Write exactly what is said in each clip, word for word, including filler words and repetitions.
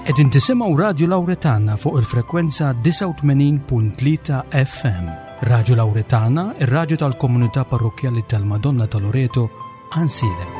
Qegħdin tisimgħu Radju Lawretana fuq il-frekwenza disgħa u tmenin punt tlieta F M. Radju Lawretana, ir-radju tal-komunità parrokkjali tal-Madonna ta' Loreto, Għajnsielem.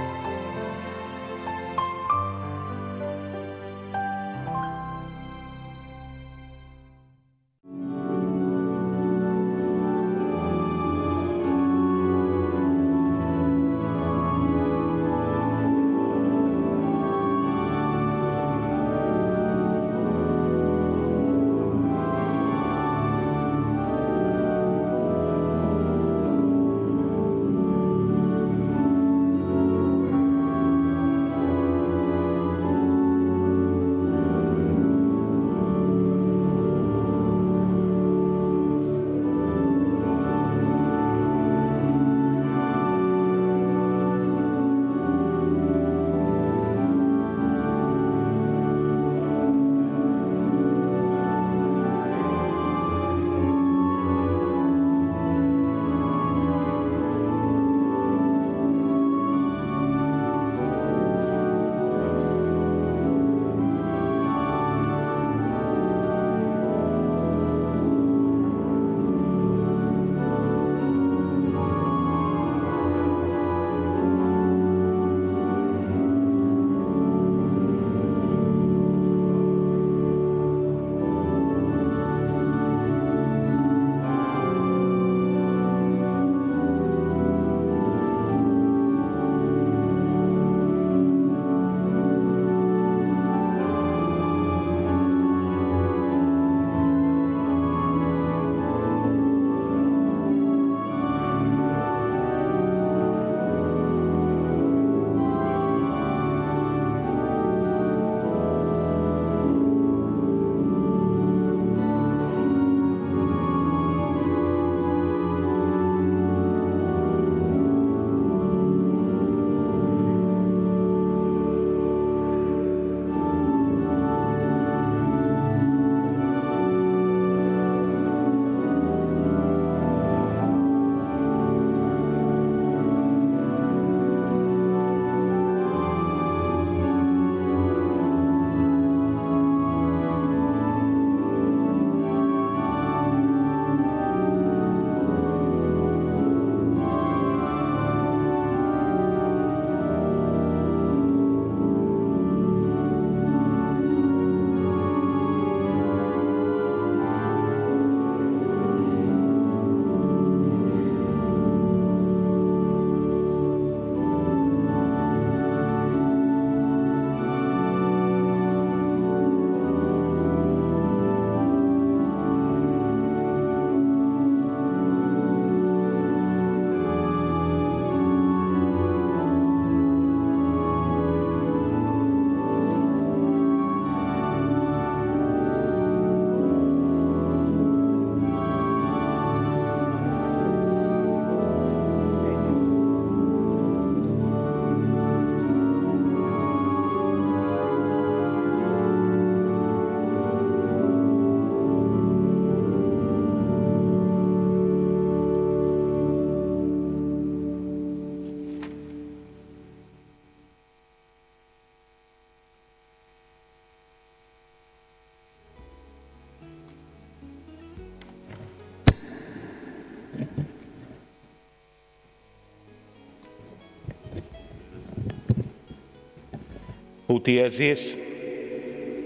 Ħuti għeżież,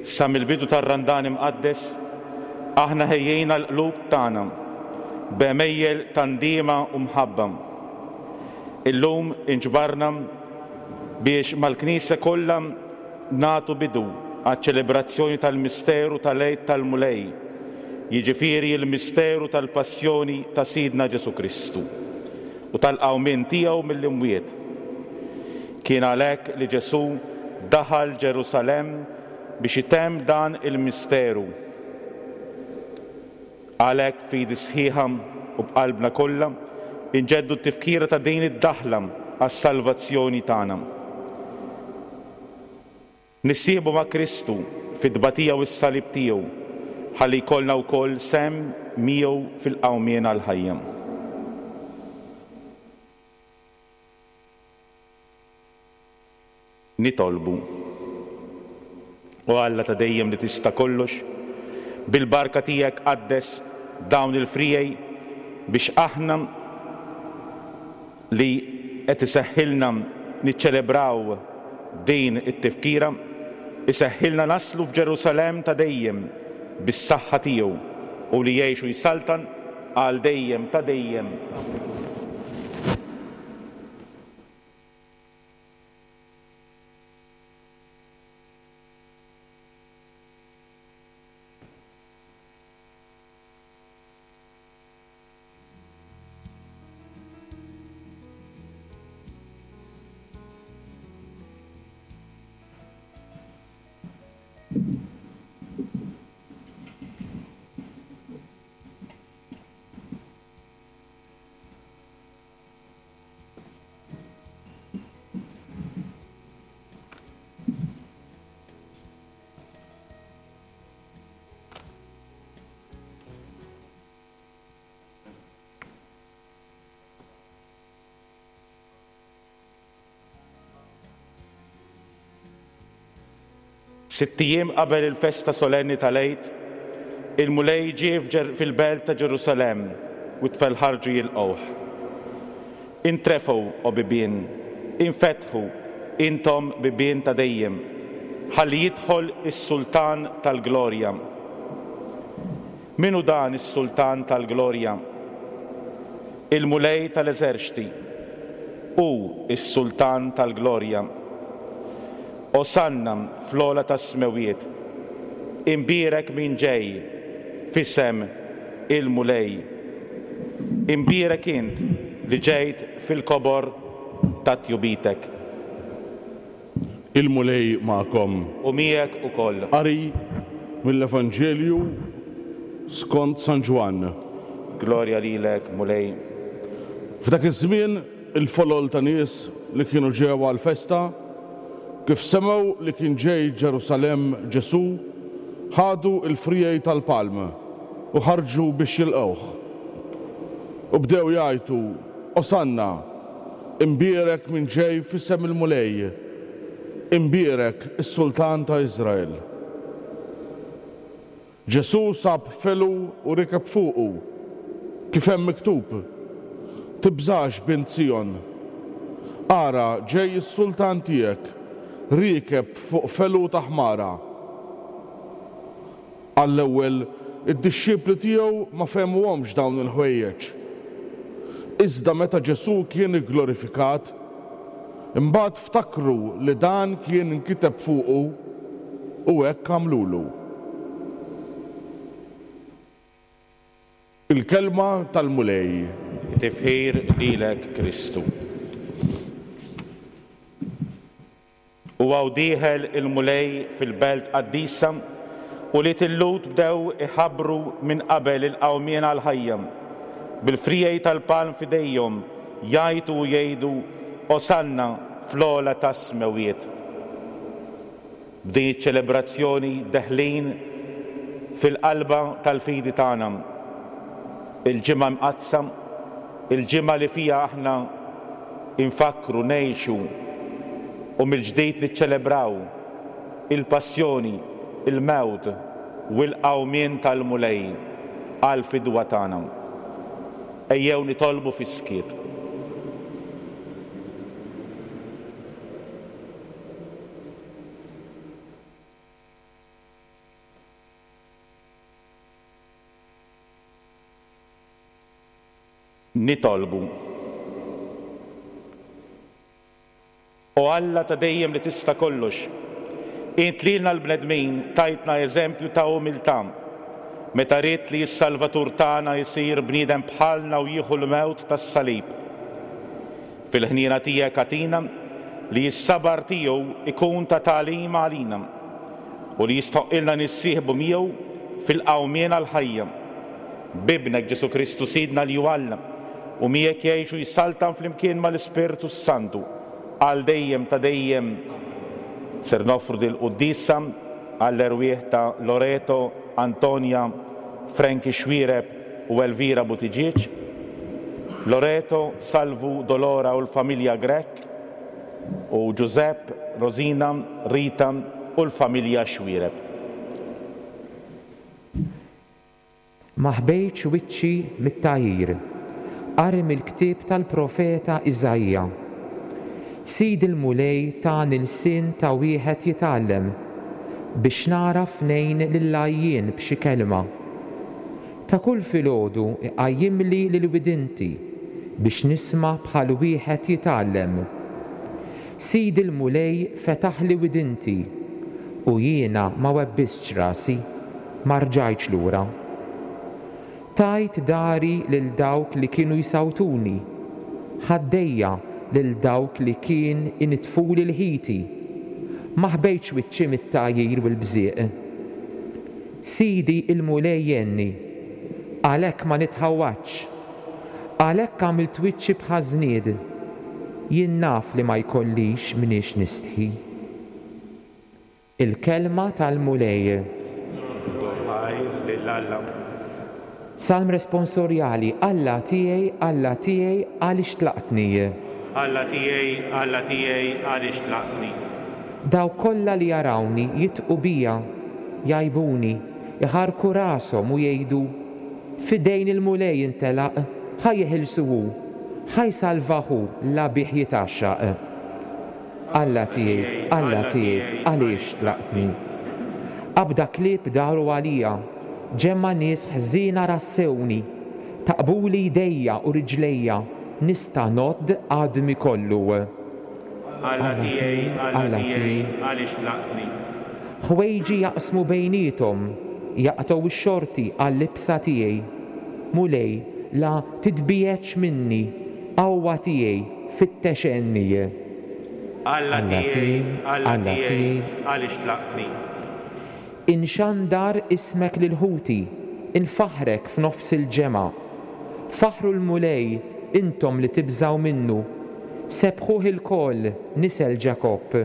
sa mill-bidu tar-Randan imqaddes, aħna ħejjejna l-qlub tagħna b'għemejjel ta' ndiema u mħabba. Illum inġbarna biex mal-Knisja kollha nagħtu bidu għaċ-ċelebrazzjoni tal-misteru tal-Għid tal-Mulej, jiġifieri l-misteru tal-passjoni ta' Sidna Ġesù Kristu u tal-qawmien tiegħu mill-imwiet. Kien għalhekk li Ġesù daħal Ġerusalemm biex itemm dan il-misteru. Għalhekk fidi sħiħa u b'qalbna kollha inġeddu t-tifkira ta' din id-daħla għas-salvazzjoni tagħna. Nissieħbu ma' Kristu fit-tbatija u s-salib tiegħu ħalli jkollna wkoll sem miegħu fil-qawmien għall-ħajja. Nitolbu. O Alla ta' dejjem li tista' kollox, bil-barka tiegħek qaddes dawn il-friegħi biex aħna li qed iseħħilna niċċelebraw din it-tifkira, iseħħilna naslu f'Ġerusalemm ta' dejjem bis-saħħa tiegħu u li jgħix u jsaltan għal dejjem ta' dejjem. Sitt ijiem qabel il-festa solenni tal-Għid, il-Mulej ġie fil-belt ta' Ġerusalemm u t-tfal ħarġu jilqgħuh. Intrefgħu, o bibien, infetħu, intom bibien ta' dejjem, ħalli jidħol is-Sultan tal-Glorja. Min hu dan is-Sultan tal-Glorja? Il-Mulej tal-Eżerċti, hu s-Sultan tal-Glorja. Osanna fl-ogħla tas-smewiet, imbierek min ġej f'isem il-Mulej. Imbierek int li ġejt fil-kobor ta' tjubitek. Il-Mulej magħkom. U miegħek ukoll. Qari mill-Evanġelju skont San Ġwann. Glorja lilek, Mulej. F'dak iż-żmien il-folol ta' nies li kienu ġew għall-festa, kif semgħu li kien ġej Ġerusalemm Ġesù, ħadu l-friegħi tal-palm u ħarġu biex jilqgħuh. U bdew jgħajtu, Osanna, imbierek min ġej f'isem il-Mulej, imbierek is-Sultan ta' Iżrael. Ġesù sab felu u rikeb fuqu, kif hemm miktub, tibżax bint Sijon, ara ġej is-sultan tiegħek, riekeb fuq felu ta' ħmara. Għall-ewwel id-dixxipli tiegħu ma fehmuhomx dawn il-ħwejjeġ. Iżda meta Ġesù kien igglorifikat, imbagħad ftakru li dan kien inkiteb fuqu u hekk għamlulu. Il-kelma tal-Mulej. Tifħir lilek Kristu. U għaw dieħel il-Mulej fil-belt qaddisa u li tillut bdew iħabbru minn qabel il-qawmien għal-ħajja. Bil-friegħi tal-palm f'idejhom jgħajtu u jgħidu Osanna fl-ogħla tas-smewiet. B'din iċ-ċelebrazzjoni deħlin fil-qalba tal-fidi tagħna. Il-ġimgħa mqaddsa, il-ġimgħa li fiha aħna infakru, ngħixu u mill-ġdid niċċelebraw il-passjoni, il-mewt u l-qawmien tal-Mulej għall-fidwa tagħna. Ejjew nitolbu fis-skiet. Nitolbu. O Alla ta' dejjem li tista' kollox, int lilna l-bnedmin tajtna eżempju ta' umiltà, meta ridt li s-Salvatur tagħna jsir bniedem bħalna u jieħu l-mewt tas-salib. Fil-ħniena tiegħek agħtina li s-sabar tiegħu ikun ta' tagħlim għalina u li jistħoqqilna nissieħbu miegħu fil-qawmien għall-ħajja. B'ibnek Ġesù Kristu Sidna li hu Alla u miegħek jgħix u jsaltan flimkien mal-Ispirtu Santu għal dejjem ta' dejjem. Ser noffru dil-quddiesa għall-erwieħ ta' Loreto, Antonia, Frankie Xuereb u Elvira Buttigieg, Loreto, Salvu, Dolora u l-familja Grech, u Giuseppe, Rosina, Rita, u l-familja Xuereb. Ma ħbejtx wiċċi mit-tgħajjir. Qari mill-ktieb tal-profeta Iżaija. Sid il-Mulej tani lsien ta' wieħed jitgħallem biex nagħraf ngħin lill-għajjien b'xi kelma. Ta' kull filgħodu iqajjimli lil widinti biex nisma' bħal wieħed jitgħallem. Sid il-Mulej fetaħli widinti u jiena ma webbistx rasi, ma rġajtx lura. Tajt dari lil dawk li kienu jsawtuni, ħaddejja lil dawk li kien initfuli l-ħiti, ma ħbejtx wiċċi mit-tgħajjir u l-bżieq. Sidi il-Mulej jgħinni, għalhekk ma nitħawwadx, għalhekk għamilt wiċċi bħażnied, jien naf li ma jkollix mniex nistħi. Il-kelma tal-Mulej. Ħajr lil Alla. Salm responsorjali, Alla tiegħi, Alla tiegħi, għaliex tlaqtni? Alla tiegħi, Alla tiegħi, għaliex tlaqtni? Dawk kollha li jarawni jitqu bija, jgħajbuni, iħarku rashom u jgħidu, f'idejn il-Mulej intelaq, ħa jeħilsu hu, ħa jsalvah hu la bih jitgħaxxaq. Alla tiegħi, Alla tiegħi, għaliex tlaqtni? Qabda klieb daru għalija, ġemma nies ħżiena rassewni, taqbuli jdejja u riġlejja, nista' ngħodd għadmi kollu. Alla tiegħi, Alla tiegħi, għaliex tlaqtni? Ħwejġi jaqsmu bejniethom, jaqtgħu x-xorti għal-libsa tiegħi. Mulej, la titbiegħedx minni, qawwa tiegħi, fittex għenni. Alla tiegħi, Alla tiegħi, għaliex tlaqtni? Inxandar ismek lil ħuti, infaħrek f'nofs il-ġemgħa. Faħru l-Mulej, intom li tibżgħu minnu. Sebħuh ilkoll, nisel Ġakobb.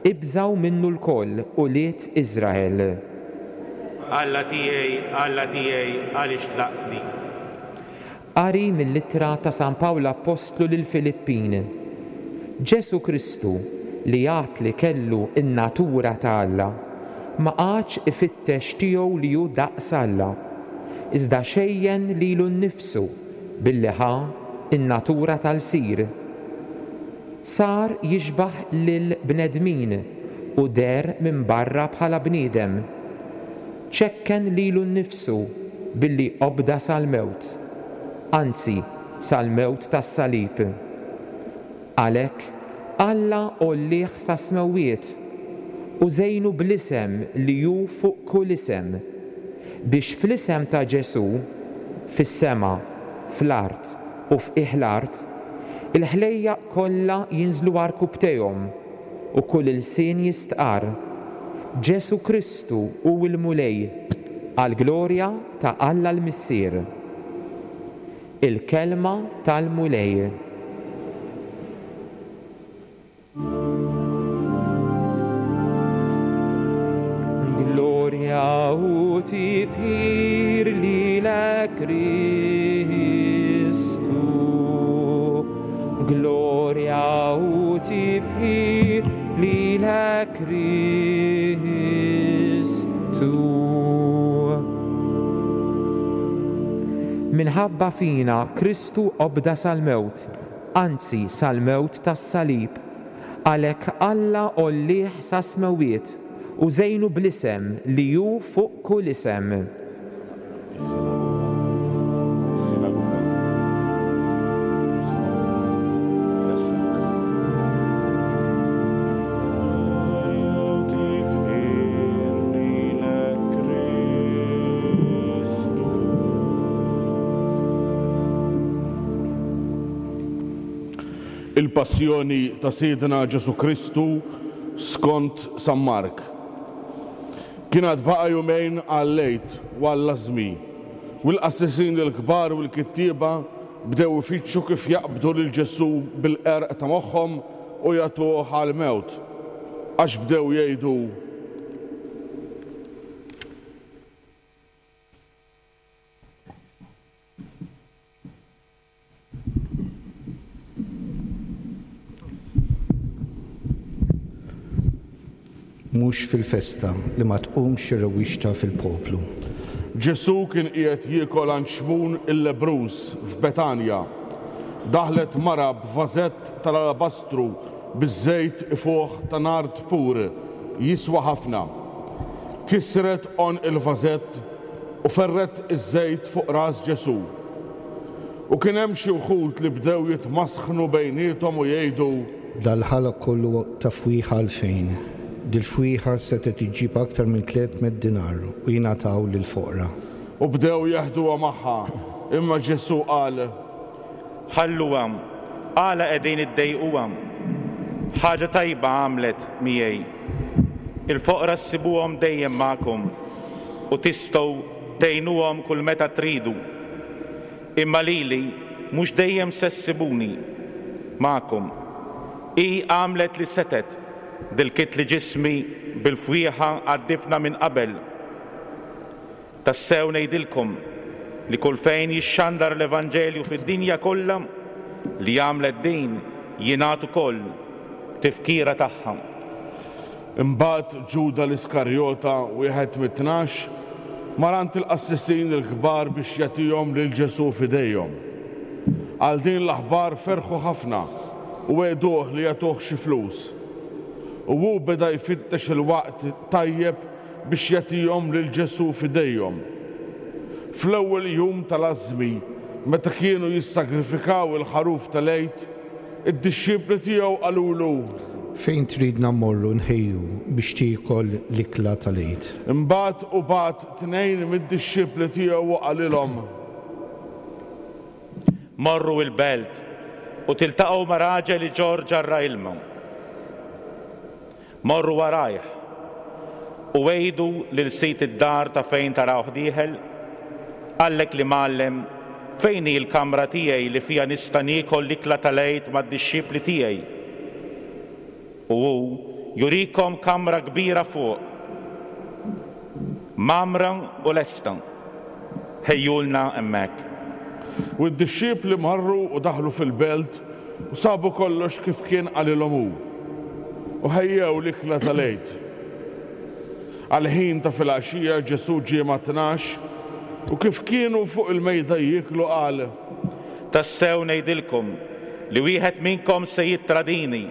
Ibżgħu minnu lkoll, ulied Iżrael. Alla tiegħi, Alla tiegħi, għaliex tlaqtni? Qari mill-ittra ta' San Pawl Appostlu lil Filippin. Ġesu Kristu, li għad li kellu in-natura ta' Alla, ma qagħadx ifittex tiegħu li hu daqs Alla, iżda xejjen lilu nnifsu billi ħa in-natura tal-sir. Sar jixbaħ lil bnedmin u der minn barra bħala bniedem. Ċekken lilu nnifsu billi obda sal-mewt, anzi sal-mewt tas-salib. Għalhekk Alla għollih sas-smewwiet u żejnu bl-isem li hu fuq kull isem, biex fl-isem ta' Ġesu, fis-sema, fl-art u f'qiegħ l-art, il-ħlejjaq kollha jinżlu għarkupptejhom u kull ilsien jistqarr, Ġesu Kristu hu l-Mulej, għall-glorja ta' Alla l-Missier. Il-kelma tal-Mulej. Glorja u tifħir lilek Kristu. Glorja u tifħir lilek Kristu. Minħabba fina Kristu obda sal-mewt, anzi sal-mewt tas-salib. Għalhekk Alla għollih sas-smewwiet u żejnu bl-isem li hu fuq kull isem. Sinagoga. Il-Passjoni ta' Sidna Ġesu Kristu skont San Mark. Kien għad baqa' jumejn għal-Għid u għall-Ażmi, u l-qassisin il-kbar u l-kittieba bdew ifittxu kif jaqbdu lil Ġesu bil-qerq ta' moħħhom u jagħtuh għall-mewt, għax bdew jgħidu: Mhux fil-festa, li ma tqumx xi rewwixta fil-poplu. Ġesù kien qiegħed jiekol għand Xmun il-lebbruż f'Betanja. Daħlet mara b'vażett tal-alabastru biż-żejt ifuħ ta' nard pur, jiswa ħafna. Kisret għonq il-vażett u ferrgħet iż-żejt fuq ras Ġesù. U kien hemm xi wħud li bdew jitmasħnu bejniethom u jgħidu: Dal-ħala kollu ta' fwieħa għalfejn? Dil-fwieħa setgħet iġġib aktar minn tliet mitt dinar u jingħataw lill-foqra. U bdew jeħduha magħha, imma Ġesù qal: Ħalluha, għala qegħdin iddejquha? Ħaġa tajba għamlet miegħi. Il-foqra ssibuhom dejjem magħkom u tistgħu tgħinuhom kull meta tridu. Imma lili mhux dejjem se ssibuni magħkom. Hi għamlet li setgħet, dilkitli ġismi bil-fwieħa għad-difna minn qabel. Tassew ngħidilkom li kull fejn jixxandar l-Evanġelju fid-dinja kollha, li għamlet din jingħad ukoll tifkira tagħha. Imbagħad Ġuda l-Iskarjota, wieħed mit-tnax, mar għand il-qassisin il-kbar biex jagħtihom lil Ġesù f'idejhom. Għal din l-aħbar ferħu ħafna u wegħduh li jagħtuh xi flus. U hu beda jfittex il-waqt tajjeb biex jagħtihom lil Ġesù f'idejhom. Fl-ewwel jum tal-ażmi, meta kienu jissagrifikaw il-ħaruf tal-Għid, id-dixxipli tiegħu qalulu: Fejn tridna mmorru nħejju biex tiekol l-ikla tal-Għid? Imbagħad hu bagħat tnejn mid-dixxipli tiegħu u qalilhom: Morru il-belt u tiltaqgħu ma' raġel iġorr ġarra ilma. Morru warajh u għidu lil sid id-dar ta' fejn tarawh dieħel, qallek l-Imgħallem, fejn hi l-kamra tiegħi li fiha nista' niekol l-ikla tal-Għid mad-dixxipli tiegħi? U hu jurikom kamra kbira fuq, mgħammra u lesta, ħejjulna hemmhekk. U d-dixxipli marru u daħlu fil-belt u sabu kollox kif kien qalilhom hu. U ħejjew l-ikla tal-Għid. Għal-ħin ta' filgħaxija Ġesù ġie ma' tnax u kif kienu fuq il-mejda jieklu qal: Tassew ngħidilkom li wieħed minnkom se jittradini,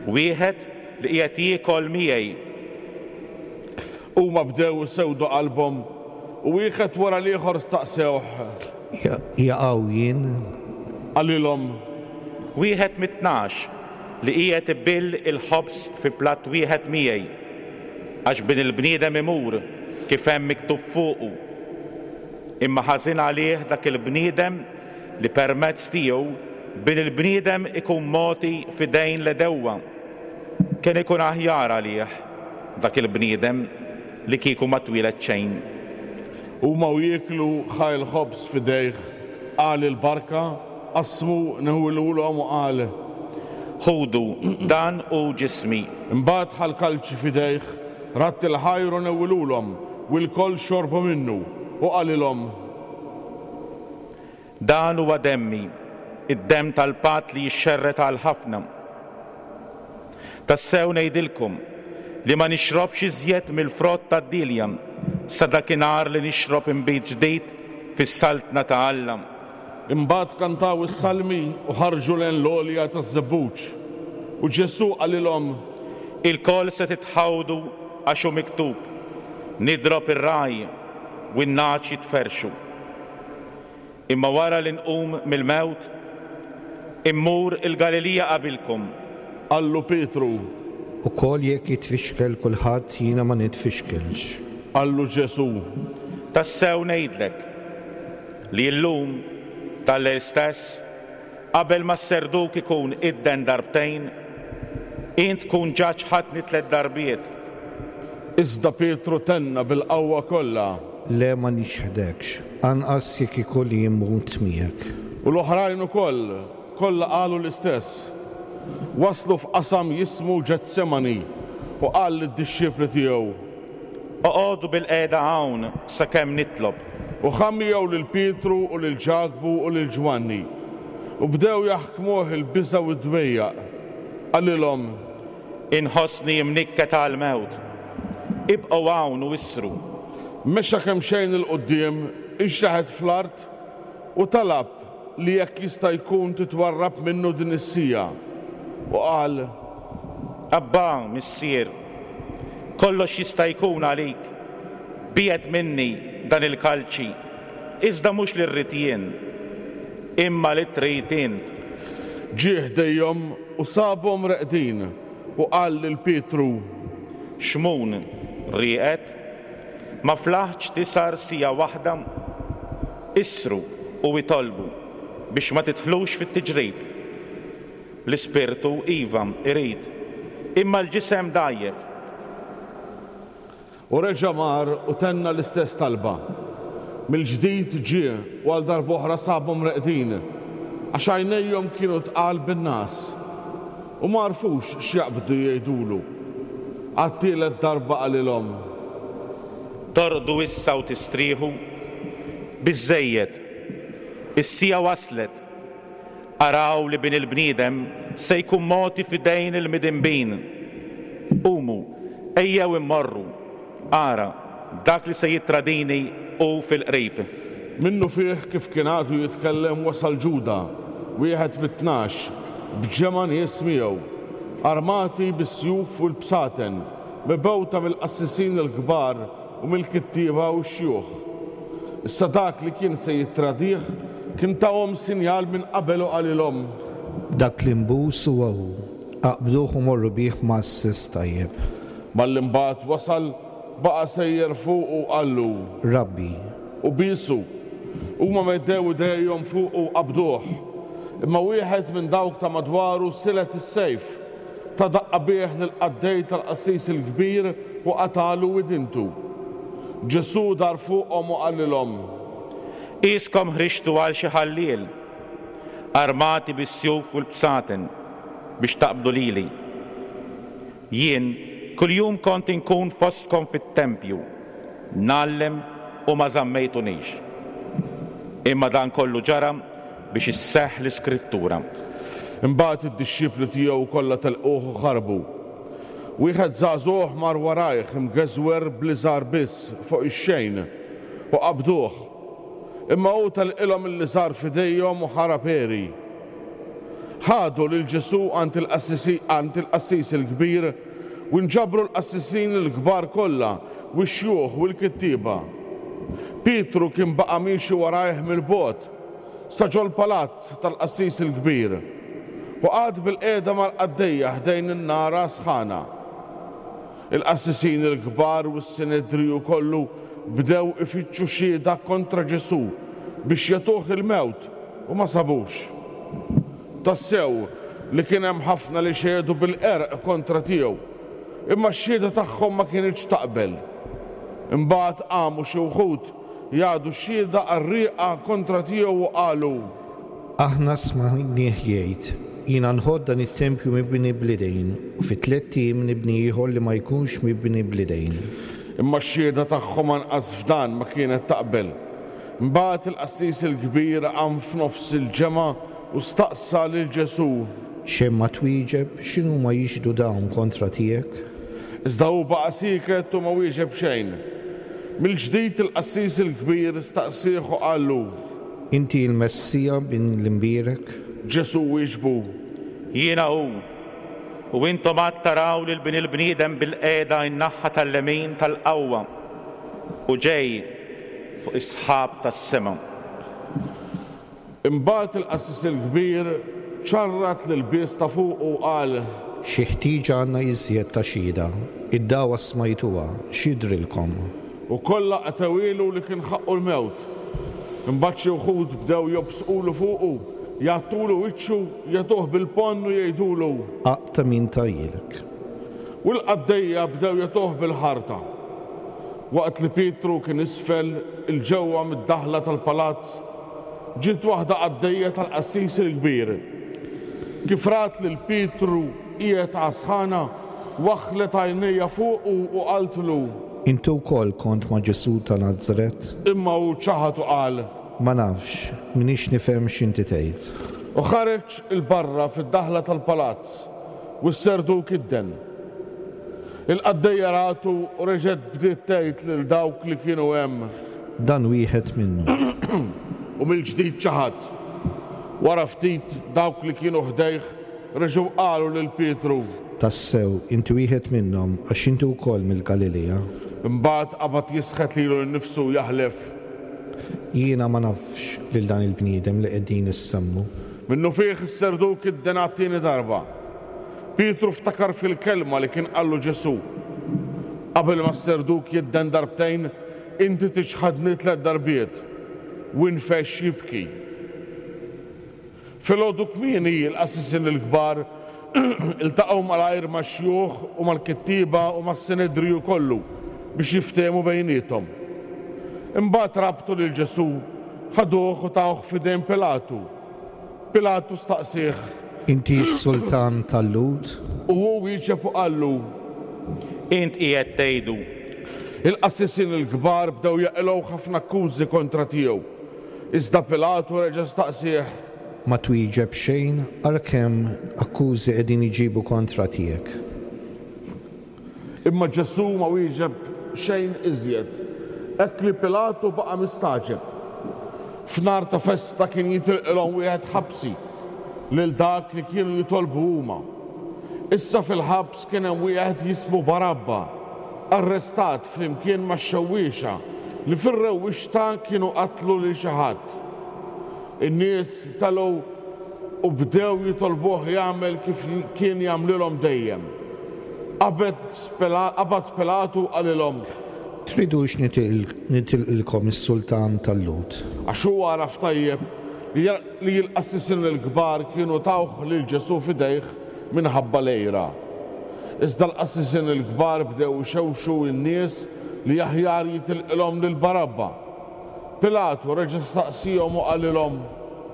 wieħed li qiegħed jiekol miegħi. Huma bdew isewdu qalbhom u wieħed wara l-ieħor staqsewh: Jaqaw jien? Qalilhom: Wieħed mit-tnax li qiegħed ibill il-ħobż fi platt wieħed miegħi, għax bin il-bniedem imur kif hemm miktub fuqu. Imma ħażin għalih dak il-bniedem li permezz tiegħu bin il-bniedem ikun mogħti f'idejn l-għedewwa. Kien ikun aħjar għalih dak il-bniedem li kieku ma twieled xejn. Huma u jieklu ħa l-ħobż f'idejh, qal il-barka, qasmu newwilulhom u qal: Ħudu, dan hu ġismi. Imbagħad ħa l-kalċi f'idejh, radd il-ħajr u newwilulhom, u lkoll xorbu minnu, u qalilhom: Dan huwa demmi, id-demm tal-patt li jixxerred għal ħafna. Tassew ngħidilkom li ma nixrobx iżjed mill-frott tad-dielja sa dakinhar li nixrob inbid ġdid fis-saltna ta' Alla. Imbagħad kantaw is-salmi u ħarġu lejn l-għolja taż-Żebbuġ. U Ġesù qalilhom: Ilkoll se titħawdu għax hu miktub, nidrob ir-ragħaj u n-nagħaġ jitferrxu. Imma wara li nqum mill-mewt, immur il-Galilija qabilkom. Qallu Pietru: Ukoll jekk jitfixkel kulħadd, jiena ma nitfixkelx. Qallu Ġesù: Tassew ngħidlek li llum tal-lejl stess, qabel ma s-serduk ikun idden darbtejn, int tkun ġa ċħadtni tliet darbiet. Iżda Pietru tenna bil-qawwa kollha: Le, ma niċħdekx, anqas jekk ikolli mmut miegħek. U l-oħrajn ukoll kollha qalu l-istess. Waslu f'qasam jismu Ġetsemani u qal lid-dixxipli tiegħu: Oqogħdu bil-qiegħda hawn sakemm nitlob. U ħa miegħu lil Pietru u lil Ġakbu u lil Ġwanni, u bdew jaħkmuh il-biża' u d-dwejjaq. Qalilhom: Inħossni imnikket għall-mewt. Ibqgħu hawn u issru. Mexa kemxejn 'il quddiem, inxteħet fl-art u talab li jekk jista' jkun titwarrab minnu din is-siegħa. U qal: Abba, Missier, kollox jista' jkun għalik. Biegħed minni dan il-kalċi, iżda mhux li rrid jien, imma li trid int. Ġie ħdejhom u sabhom reqdin u qal lil Pietru: Xmun, rieqed? Ma flaħtx tisar siegħa waħda? Isru u itolbu biex ma tidħlux fit-tiġrib. L-ispirtu iva irid, imma l-ġisem dgħajjef. U reġa' mar u tenna l-istess talba. Mill-ġdid ġie u għal darb'oħra sabhom reqdin, għax għajnejhom kienu tqal bin-ngħas u ma għarfux x'jaqbdu jgħidulu. Għat-tielet darba qalilhom: Torqdu issa u tistrieħu? Biżżejjed, is-siegħa waslet. Araw li Bin il-bniedem se jkun mogħti f'idejn il-midinbin. Qumu, ejjew immorru. Ara, dak li se jittradini hu fil-qrib. Minnufih kif kien għadu jitkellem wasal Ġuda, wieħed mit-tnax, b'ġemgħa nies miegħu, armati bis-sjuf u l-bsaten, mibgħuta mill-qassisin il-kbar u mill-kittieba u x-xjuħ. Issa dak li kien se jittradih kien tahom sinjal minn qabel u qalilhom: Dak li nbus huwa hu, aqbduh u morru bih mgħasses tajjeb. Malli mbagħad wasal, baqa' sejjer fuqu u qallu: Rabbi. U biesu. Huma meddew idejhom fuqu u qabduh. Imma wieħed minn dawk ta' madwaru silet is-sejf, ta daqqa bih lill-qaddej tal-qassis il-kbir u qatalu widintu. Ġesù dar fuqhom u qalilhom: Qiskom ħriġtu għal xi ħalliel, armati bis-sjuf u l-bsaten, biex taqbdu lili. Jien kuljum kont inkun fostkom fit-tempju, ngħallem u ma żammejtunix. Imma dan kollu ġara biex isseħħ l-Iskrittura. Imbagħad id-dixxipli tiegħu kollha telquh u ħarbu. Wieħed żagħżugħ mar warajh imgeżwer b'liżar biss fuq ix-xejn u qabduh. Imma hu telqilhom il-liżar f'idejhom u ħarab għeri. Ħadu lil Ġesù għand il-qassis il-kbir u nġabru l-qassisin il-kbar kollha u x-xjuħ u l-kittieba. Pietru kien baqa' miexi warajh mill-bogħod sa ġol-palazz tal-qassis il-kbir u qagħad bil-qiegħda mal-qaddejja ħdejn in-nara sħana. Il-qassisin il-kbar u s-Sinedriju kollu bdew ifittxu xhieda kontra Ġesù biex jagħtuh il-mewt u ma sabux. Tassew li kien hemm ħafna li xehdu bil-qerq kontra tiegħu, imma x-xhieda tagħhom ma kinitx taqbel. Imbagħad qamu xi wħud jagħdu xhieda qarrieqa kontra tiegħu u qalu: Aħna smajnieh jgħid: Jiena nħodd dan it-tempju mibni bl-idejn, u fi tliet ijiem nibni ieħor li ma jkunx mibni bl-idejn. Imma x-xhieda tagħhom anqas f'dan ma kienet taqbel. Imbagħad il-qassis il-kbir qam f'nofs il-ġemgħa u staqsa lil Ġesù: Xejn ma twieġeb, x'inhuma jixhdu dawn kontra tiegħek? Iżda hu baqa' sieket u ma wieġeb xejn. Mill-ġdid il-qassis il-kbir staqsieh u qallu: Inti l-Messija bin l-Imbierek? Ġesù wieġbu: Jiena hu, u intom għad taraw lil Bin il-bniedem bil-qiegħda in-naħa tal-lemin tal-qawwa u ġej fuq is-sħab tas-sema. Imbagħad il-qassis il-kbir ċarrat l-ilbies ta' fuqu u qal: Xi ħtieġa għandna iżjed ta' xhieda, id-dagħwa smajtuha, x'jidhrilkom? U kollha qatgħuhielu li kien ħaqqu l-mewt. Imbagħad xi wħud bdew jobsqulu fuqu, jgħattulu wiċċu, jagħtuh bil-ponn u jgħidulu: Aqta' min tajjilek. U l-qaddejja bdew jagħtuh bil-ħarta. Waqt li Pietru kien isfel il-ġewwa mid-daħla tal-palazz, ġiet waħda qaddejja tal-qassis il-kbir. Kif rat lil Pietru qiegħed għas-sħana, waħħlet għajnejha fuqu u qaltlu: Inti wkoll kont ma' Ġesù ta' Nazaret? Imma hu ċaħad u qal: Ma nafx, m'iniex nifhem x'inti tgħid. U ħareġ il-barra fid-daħla tal-palazz u s-serduk idden. Il-qaddejja ratu u reġgħet bdiet tgħid lil dawk li kienu hemm. Dan wieħed minnhom. U mill-ġdid ċaħad. Wara ftit dawk li kienu ħdejh reġgħu qalu lil Pietru. Tassew, inti wieħed minnhom għax inti wkoll mill-Galilea. Imbagħad qabad jisħet lilu nnifsu jaħlef. Jiena ma nafx lil dan il-bniedem li qegħdin issemmu. Minnufih is-serduk idden għat-tieni darba. Pietru ftakar fil-kelma li kien qallu Ġesù. Qabel ma s-serduk jidden darbtejn, inti tiċħadni tliet darbiet. U nfexx jibki. Filgħodu kmieni l-qassisin il-kbar iltaqgħu malajr max-xjuħ u mal-kittieba u mas-Sinedriju kollu biex jiftehmu bejniethom. Imbagħad rabtu lil Ġesù, ħaduh u tawh f'idejn Pilatu. Pilatu staqsieh. Inti s-sultan tal-Lhud? U hu wieġeb u qallu. Int qiegħed tgħidu. Il-qassisin il-kbar bdew jaqilgħu ħafna akkużi kontra tiegħu. Iżda Pilatu reġa' staqsieh. Ma twieġeb xejn ara kemm akkużi qegħdin iġibu kontra tiegħek. Imma Ġesù ma wieġeb xejn iżjed, hekk li Pilatu baqa' mistagħġeb. F'nhar ta' festa kien jitilqilhom wieħed ħabsi lil dak li kienu jitolbu huma. Issa fil-ħabs kien hemm wieħed jismu Barabba, arrestat flimkien max-xewwiexa li fir-rewwixta kienu qatlu lil xi ħadd. In-nies telgħu u bdew jitolbuh jagħmel kif kien jagħmlilhom dejjem. Qabad Pilatu qalilhom. Tridux nitilqilkom is-sultan tal-Lhud? Għax hu għaraf tajjeb li l-qassisin il-kbar kienu tawh lil Ġesù f'idejh minħabba l-għira. Iżda l-qassisin il-kbar bdew ixewxu n-nies li aħjar jitilqilhom lil Barabba. Pilatu reġa' staqsihom u qalilhom.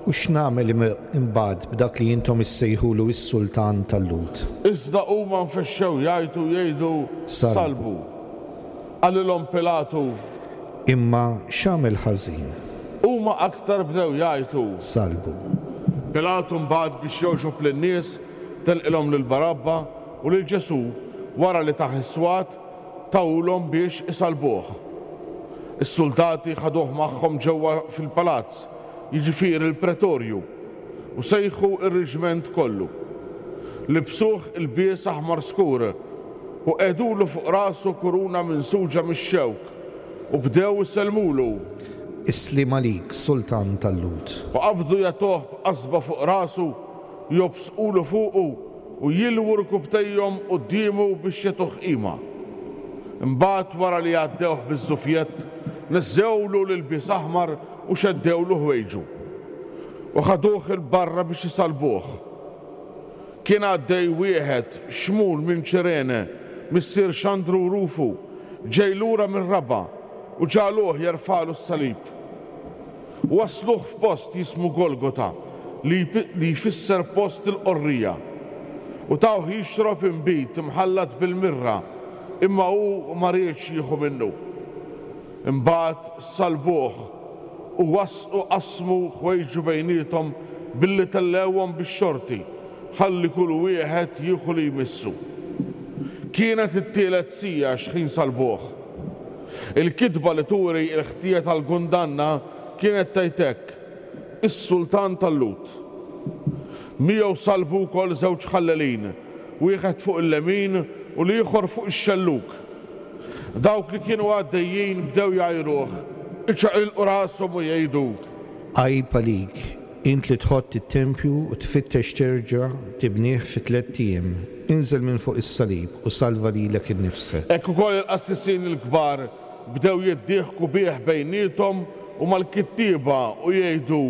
U x'nagħmel imbagħad b'dak li intom issejħulu s-sultan tal-Lhud? Iżda huma nfexxew jgħajtu jgħidu salbu. Qalilhom Pilatu. Imma x'għamel ħażin? Huma aktar bdew jgħajtu. Salbu. Pilatu mbagħad biex jogħġob lin-nies telqilhom lil Barabba u lil Ġesù wara li tah is-swat tawlhom biex isalbuh. Is-soldati ħaduh magħhom ġewwa fil-palazz, jiġifieri l-pretorju, u sejħu r-reġment kollu. Libsuh ilbies aħmar skur u qegħdulu fuq rasu kuruna minsuġa mix-xewk u bdew isellmulu. Is-sliem għalik, sultan tal-Lhud. U qabdu jagħtuh b'qasba fuq rasu, jobsqulu fuqu u jilwu rkubtejhom quddiemu biex jagħtuh qima. Imbagħad wara li għaddewh biż-żufjett, neżżewlu l-ilbies aħmar u xeddewlu ħwejġu. U ħaduh 'il barra biex isalbuh. Kien għaddej wieħed Xmun minn Ċirene, missier Xandru u Rufu, ġej lura mir-raba' u ġagħluh jerfagħlu s-salib. U wasluh f'post jismu Golgota, li jfisser post il-qorrija. U tawh jixrob inbid imħallat bil-mirra, imma hu ma riedx jieħu minnu. Imbagħad salbuh u wasqu qasmu ħwejġu bejniethom billi tellewhom bix-xorti, ħalli kull wieħed jieħu li jmissu. Kienet it-tielet siegħa x'ħin salbuh. Il-kitba li turi l-ħtija tal-kundanna kienet tgħid hekk: Is-sultan tal-Lhud. Miegħu salbu wkoll żewġ ħallelin, wieħed fuq il-lemin u l-ieħor fuq ix-xellug. Dawk li kienu għaddejjin bdew jgħajruh, iċaqilqu rashom u jgħidu: Għajb għalik, int li tħott it-tempju u tfittex terġa' tibnih fi tliet ijiem. Inżel minn fuq is-salib u salva lilek innifsek. Hekk ukoll il-qassisin il-kbar bdew jiddieħku bih bejniethom u mal-kittieba u jgħidu: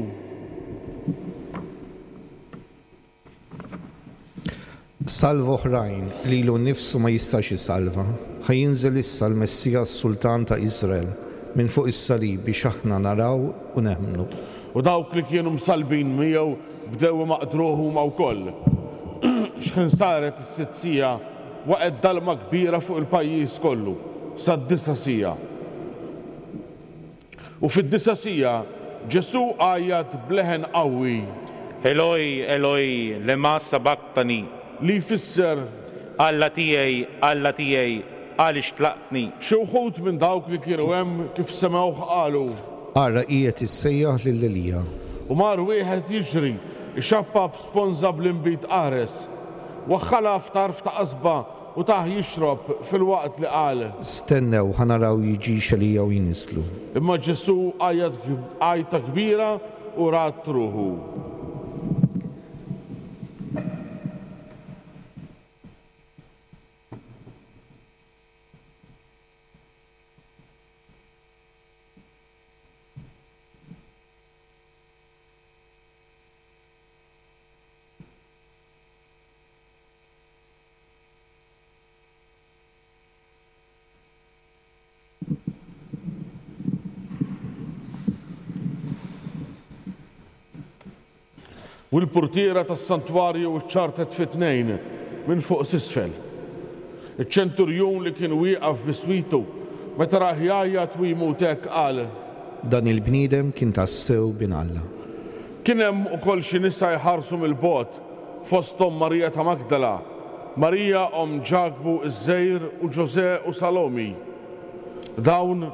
Salva oħrajn, lilu nnifsu ma jistax isalva. Ħa jinżel issa l-Messija s-Sultan ta' Iżrael minn fuq is-salib biex aħna naraw u nemmnu. U dawk li kienu msalbin miegħu bdew imaqdruh huma wkoll. X'ħin saret is-sitt siegħa waqgħet dalma kbira fuq il-pajjiż kollu sad-disa' siegħa. U fid-disa' siegħa Ġesù għajjat b'leħen qawwi: Eloi, Eloi, lema sabaktani? Li jfisser: Alla tiegħi, Alla tiegħi, għaliex tlaqtni? Xi wħud minn dawk li kienu hemm kif semgħuh qalu. Ara qiegħed issejjaħ lil Elija. U mar wieħed jiġri, ixappap sponża bl-inbid qares, waħħalha f'tarf ta' qasba u tah jixrob filwaqt li qal. Stennew ħa naraw jiġix Elija u jniżżlu. Imma Ġesù għajjat għajta kbira u radd ruħu. U l-portiera tas-santwarju ċċartet fi tnejn minn fuq s'isfel. Iċ-ċenturjun li kien wieqaf biswitu meta rah jgħajjat u jmut hekk qal. Dan il-bniedem kien tassew bin Alla. Kien hemm ukoll xi nisa jħarsu mill-bogħod, fosthom Marija ta' Magdala, Marija omm Ġakbu ż-Żgħir u Ġożè u Salomi. Dawn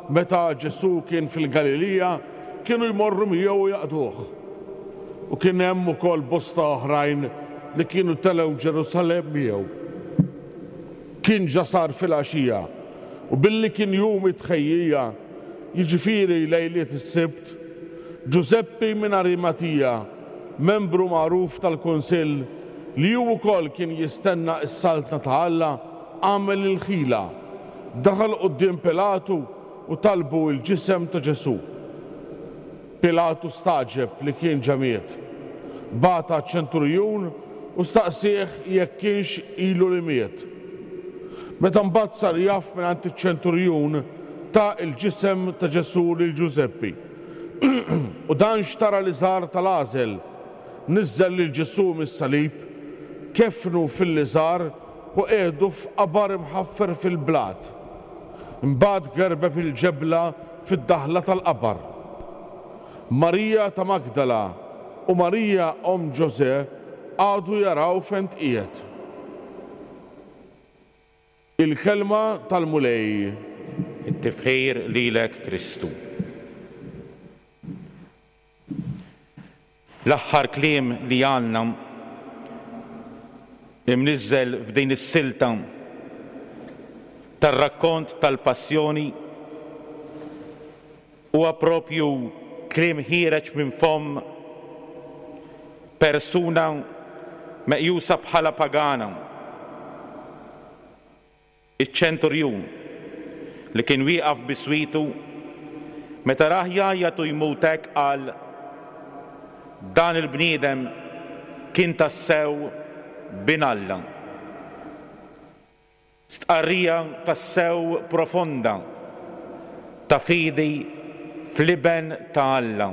meta Ġesù kien fil-Galilija kienu jmorru miegħu u jaqduh. U kien hemm ukoll bosta oħrajn li kienu telgħu Ġerusalemm miegħu. Kien ġa sar filgħaxija u billi kien jum it-tħejjija, jiġifieri lejliet is-Sibt, Ġużeppi minn Arimatija, membru magħruf tal-Kunsill li hu wkoll kien jistenna s-saltna ta' Alla, għamel il-ħila, daħal quddiem Pilatu u talbu l-ġisem ta' Ġesù. Pilatu stagħġeb li kien ġa miet. Bagħat għaċ-ċenturjun u staqsieh jekk kienx ilu li miet. Meta mbagħad sar jaf mingħand iċ-ċenturjun, ta l-ġisem ta' Ġesù lil Ġużeppi. U dan xtara l-iżar tal-għażel, niżżel lil Ġesù mis-salib, kefnu fil-liżar u qiegħdu f'qabar imħaffer fil-blat. Imbagħad gerbeb il-ġebla fid-daħla tal-qabar. Marija ta' Magdala u Marija omm Ġożè qagħdu jaraw fejn tqiegħed. Il-kelma tal-Mulej. It-tifħir lilek Kristu. L-aħħar kliem li għandna imniżżel f'din is-silta tar-rakkont tal-Passjoni huwa propju kliem ħiereġ minn fomm persuna meqjusa bħala pagana, iċ-ċenturjun li kien wieqaf biswitu meta rah jgħajjat u jmut hekk qal: dan il-bniedem kien tassew bin Alla. Stqarrija tassew profonda ta' fidi fl-Iben ta' Alla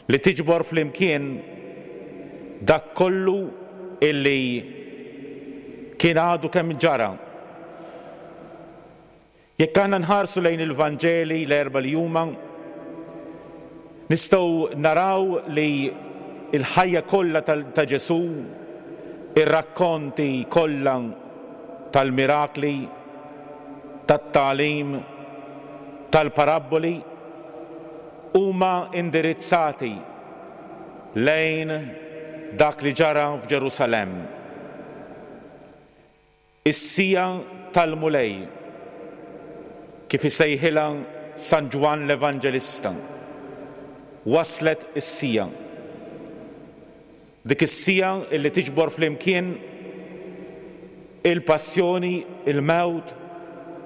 li tiġbor flimkien dak kollu illi kien għadu kemm ġara. Jekk aħna nħarsu lejn il-Vanġeli l-erba' li huma, nistgħu naraw li l-ħajja kollha ta' Ġesù, ir-rakkonti kollha tal-mirakli, tat-tagħlim, tal-parabboli, huma indirizzati lejn dak li ġara f'Ġerusalemm. Is-sija tal-Mulej, kif isejħilha San Ġwann l-Evanġelista, waslet is-sija. Dik is-sija illi tiġbor flimkien il-passjoni, il-mewt,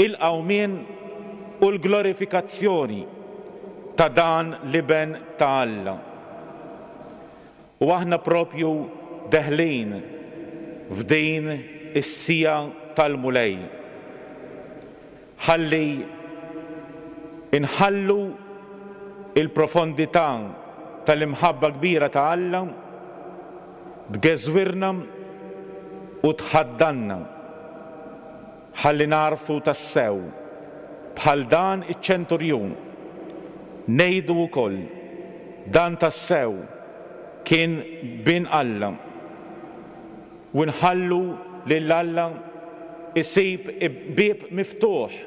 il-qawmien u l-glorifikazzjoni ta' dan l-Iben ta' Alla. U aħna propju deħlin f'din is-sija tal-Mulej. Ħalli inħallu il-profondità tal-imħabba kbira ta' Alla tgeżwirna u tħaddanna. Ħalli narfu tassew bħal dan iċ-ċenturjun ngħidu wkoll dan tassew kien bin Alla. U nħallu lil Alla isib bieb miftuħ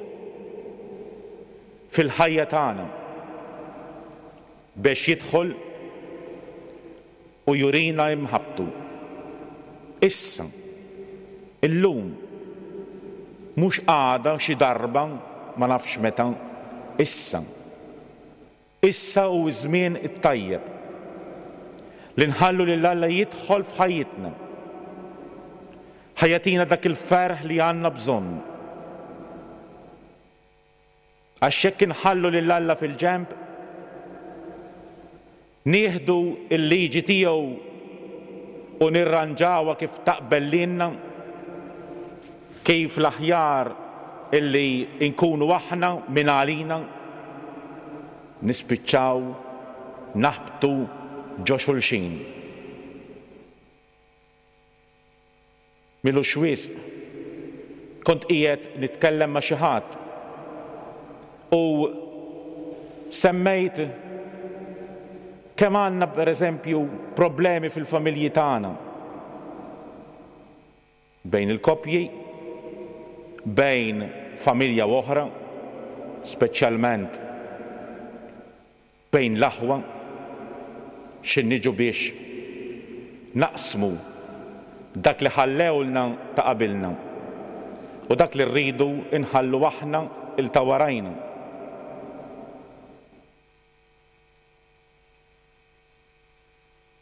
fil-ħajja tagħna biex jidħol u jurina imħabbtu. Issa, illum, mhux għada xi darba ma nafx meta, issa. Issa hu ż-żmien it-tajjeb li nħallu lil Alla jidħol f'ħajjitna. Ħa jagħtina dak il-ferħ li għandna bżonn. Għax jekk inħallu lil Alla fil-ġenb, nieħdu l-liġi tiegħu u nirranġawha kif taqbel lilna, kif l-aħjar illi nkunu aħna minn għalina, nispiċċaw naħbtu ġo xulxin. M'ilux wisq kont qiegħed nitkellem ma' xi ħadd u semmejt kemm għandna pereżempju problemi fil-familji tagħna bejn il-koppji, bejn familja u oħra, speċjalment bejn l-aħwa, x'in niġu biex naqsmu dak li ħallewlna ta' qabilna u dak li rridu nħallu aħna il ta' warajna.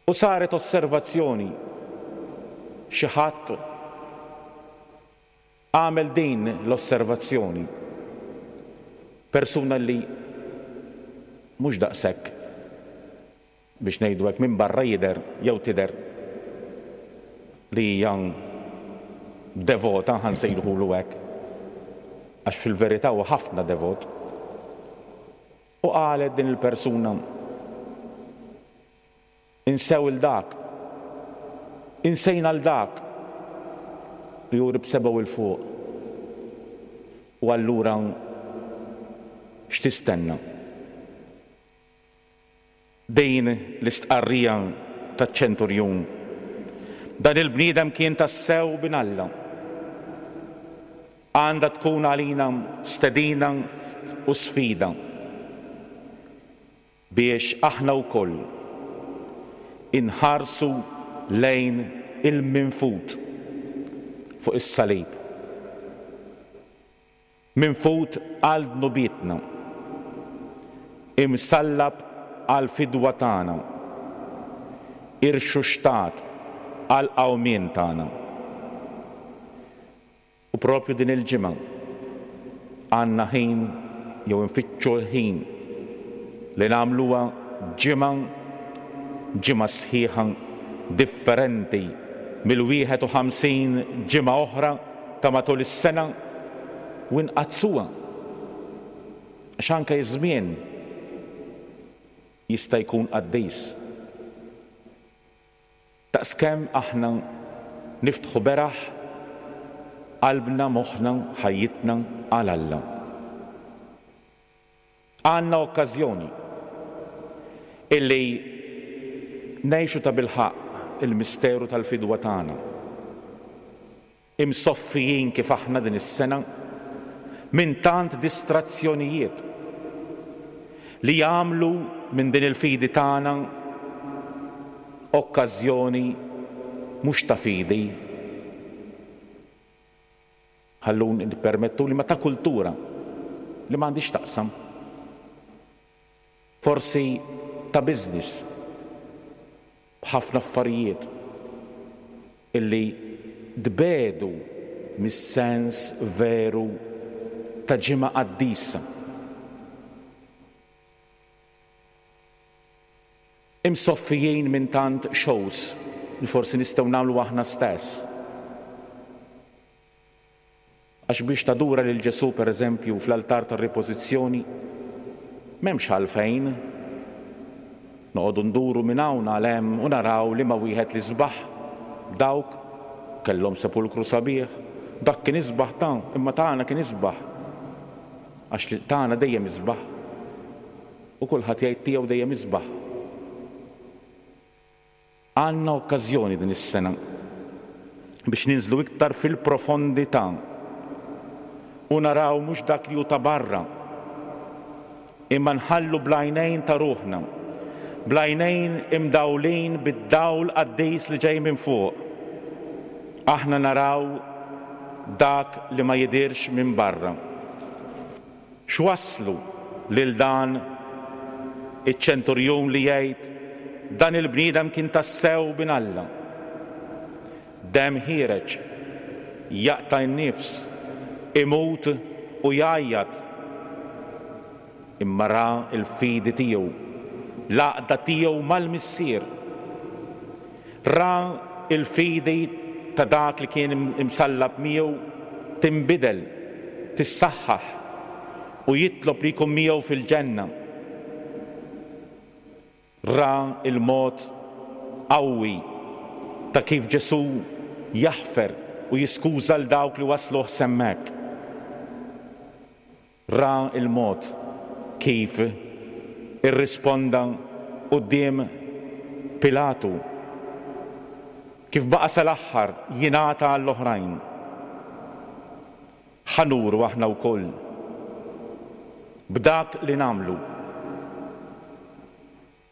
U saret osservazzjoni, xi ħadd għamel din l-osservazzjoni, persuna li mhux daqshekk biex ngħidu hekk minn barra jidher jew tidher li hija devota, ħa nsejħulu hekk, għax fil-verità huwa ħafna devot. U qalet din il-persuna, insew il dak, insejna l dak, u juri b'sebgħu 'l fuq. U allura x'tistenna? Din l-istqarrija taċ-ċenturjun. Dan il-bniedem kien tassew bin Alla. Għandha tkun għalina stedina u sfida biex aħna wkoll inħarsu lejn il-minfut fuq is-salib. Minfut għal dnubietna, imsallab għal fidwa tagħna, irxuxtat għal qawmien tagħna. U propju din il-ġimgħa għandna ħin jew nfittxu l-ħin li nagħmluha ġimgħa ġimgħa sħiħa differenti mill-wieħed u ħamsin ġimgħa oħra ta' matul is-sena u nqaddsuha. Għax anke iż-żmien jista' jkun qaddis. Daqskemm aħna niftħu beraħ qalbna, moħħna, ħajjitna għal Alla. Għandna okkażjoni illi ngħixu ta' bilħaqq il-misteru tal-fidwa tagħna. Imsoffijin kif aħna din is-sena minn tant distrazzjonijiet li jagħmlu minn din il-fidi tagħna okkażjoni mhux ta' fidi, ħallun nippermettu li ma ta' kultura li m'għandix taqsam, forsi ta' business b'ħafna affarijiet illi tbedu mis-sens veru ta' ġimgħa qaddisa. Imsoffijin minn tant shows li forsi nistgħu nagħmlu aħna stess. Għax biex tadura lil Ġesù pereżempju fl-altar tar-ripożizzjoni m'hemmx għalfejn noqogħdu nduru minn hawn għal hemm u naraw li ma wieħed li sbaħ, dawk kellhom sepulkru sabiħ, dak kien isbaħ ta' imma tagħna kien isbaħ. Għax tagħna dejjem isbaħ. U kulħadd jgħid tiegħu dejjem isbaħ. Għandna okkażjoni din is-sena biex ninżlu iktar fil-profondità u naraw mhux dak li hu ta' barra, imma nħallu bl-għajnejn ta' ruħna, bl-għajnejn imdawlin bid-dawl qaddis li ġej minn fuq. Aħna naraw dak li ma jidirx minn barra. X'wasslu lil dan iċ-ċenturjun li jgħid dan il-bniedem kien tassew bin Alla? Demm ħiereġ, jaqta' n-nifs, imut u jgħajjat. Imma ra l-fidi tiegħu, l-għaqda tiegħu mal-Missier. Ra l-fidi ta' dak li kien imsallab miegħu tinbidel, tissaħħaħ u jitlob li jkun miegħu fil-ġenna. Ra il-mod qawwi ta' kif Ġesù jaħfer u jiskuża l dawk li wasluh s'hemmhekk. Ra il-mod kif irrisponda quddiem Pilatu, kif baqa' sal-aħħar jingħata għall-oħrajn. Ħa nuru aħna wkoll b'dak li nagħmlu,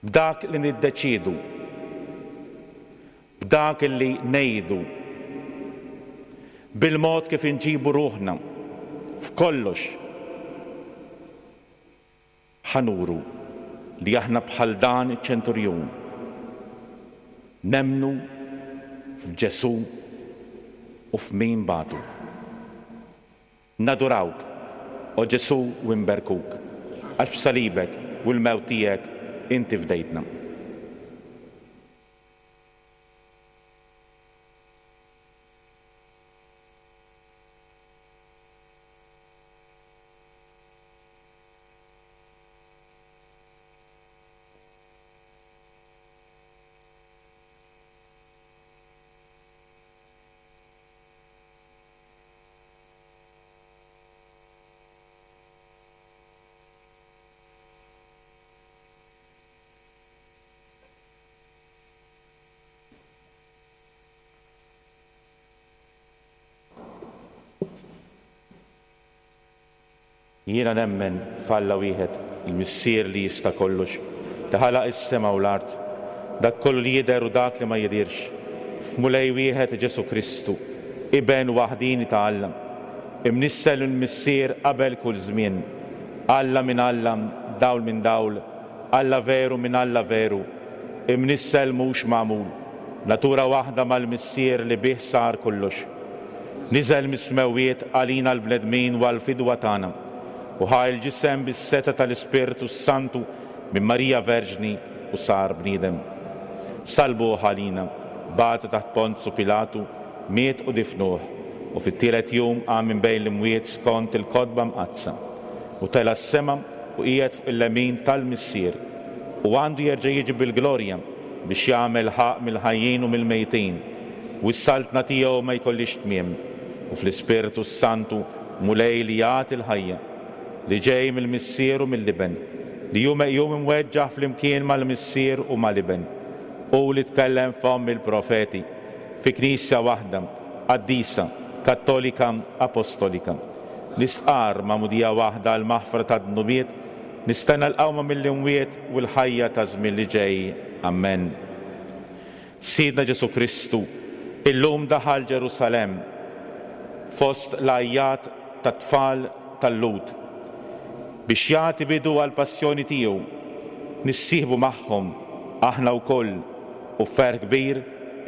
b'dak li niddeċiedu, b'dak li ngħidu, bil-mod kif inġibu ruħna f'kollox. Ħa nuru li aħna bħal dan iċ-ċenturjun nemmnu f'Ġesù u f'min bagħtu. Nadurawk, o Ġesù, u nberkuk, għax b'salibek u l-mewt tiegħek inti fdejtna. Jiena nemmen f'Alla wieħed, il-Missier li jista' kollox, li ħalaq is-sema u l-art, dak kollu li jidher u dak li ma jidhirx, f'Mulej wieħed Ġesù Kristu, Iben waħdini ta' Alla, imnissel mill-Missier qabel kull żmien, Alla minn Alla, dawl minn dawl, Alla veru minn Alla veru, imnissel mhux magħmul, natura waħda mal-Missier li bih sar kollox. Niżel mis-smewwiet għalina l-bnedmin u għall-fidwa tagħna, u ħa l-ġisem bis-setgħa tal-Ispirtu Santu minn Marija Verġni u sar bniedem. Salbuh għalina, bata taħt Ponzu Pilatu, miet u difnuh, u fit-tielet jum qam minn bejn l-imwiet skont il-kotba mqaddsa, u tela' s-sema u qiegħed fuq il-lemin tal-Missier, u għandu jerġa' jiġi bil-glorja biex jagħmel ħaqq mill-ħajjin u mill-mejtin, u s-saltna tiegħu ma jkollix tmiem, u fl-Ispirtu Santu Mulej li jagħti l-ħajja, li ġej mill-Missier u mill-Iben, li hu meqjum imweġġaħ flimkien mal-Missier u mal-Iben, u li tkellem fomm il-profeti, fi Knisja waħda, qaddisa, kattolika, apostolika. Nistqarr magħmudija waħda għall-maħfra tad-dnubiet, nistenna l-qawma mill-imwiet u l-ħajja ta' żmien li ġej. Amen. Sidna Ġesù Kristu illum daħal Ġerusalemm fost l-għajjat tat-tfal tal-Lhud biex jagħti bidu għall-passjoni tiegħu. Nissieħbu magħhom aħna wkoll u b'ferħ kbir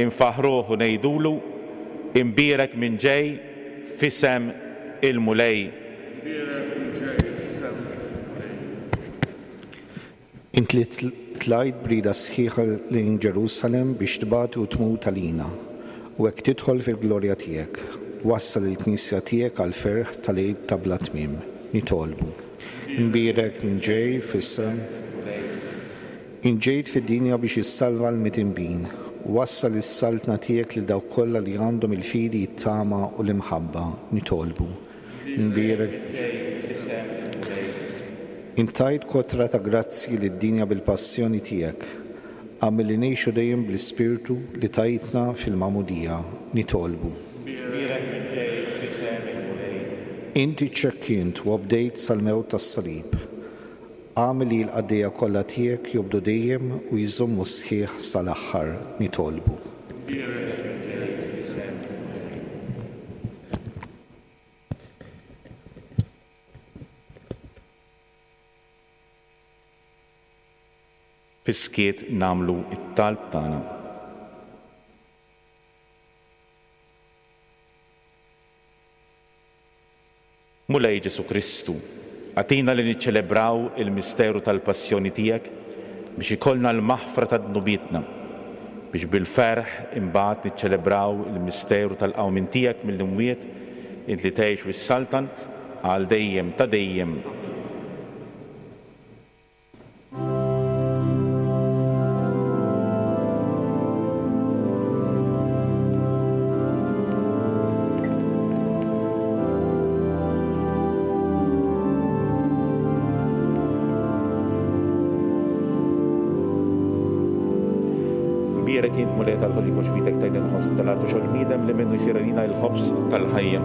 infaħruh u ngħidulu imbierek min ġej f'isem il-Mulej. Int li tlajt b'rida sħiħa lejn Ġerusalemm biex tbati u tmut għalina, u hekk tidħol fil-glorja tiegħek, wassal il-Knisja tiegħek għall-ferħ tal-Għid ta' bla tmiem. Nitolbu. Imbierek min ġej f'isem. Int ġejt fid-dinja biex issalva l-midinbin, wassal is-saltna tiegħek lil dawk kollha li għandhom il-fidi, it-tama u l-imħabba. Nitolbu. Imbierek. Int tajt kotra ta' grazzji lid-dinja bil-passjoni tiegħek. Agħmel li ngħixu dejjem bl-Ispirtu li tajtna fil-magħmudija. Nitolbu. Bierek min ġej f'isem il-Mulej. Inti ċċekkint u obdejt sal-mewt tas-salib. Agħmel li l-qaddejja kollha tiegħek jobdu dejjem u jżommu sħiħ sal-aħħar. Nitolbu. Bierek min ġej f'isem il-Mulej. Fis-skiet nagħmlu t-talb tagħna. Mulej Ġesù Kristu, agħtina li niċċelebraw il-misteru tal-passjoni tiegħek biex ikollna l-maħfra ta' dnubietna, biex bil-ferħ imbagħad niċċelebraw il-misteru tal-qawmien tiegħek mill-imwiet, int li tgħix u ssaltan għal dejjem ta' dejjem. Bierek int Mulej tal-ħolqien għax b'idek tajt il-ħobż tal-art u xogħol bniedem li minnu jsir għalina l-ħobż tal-ħajja.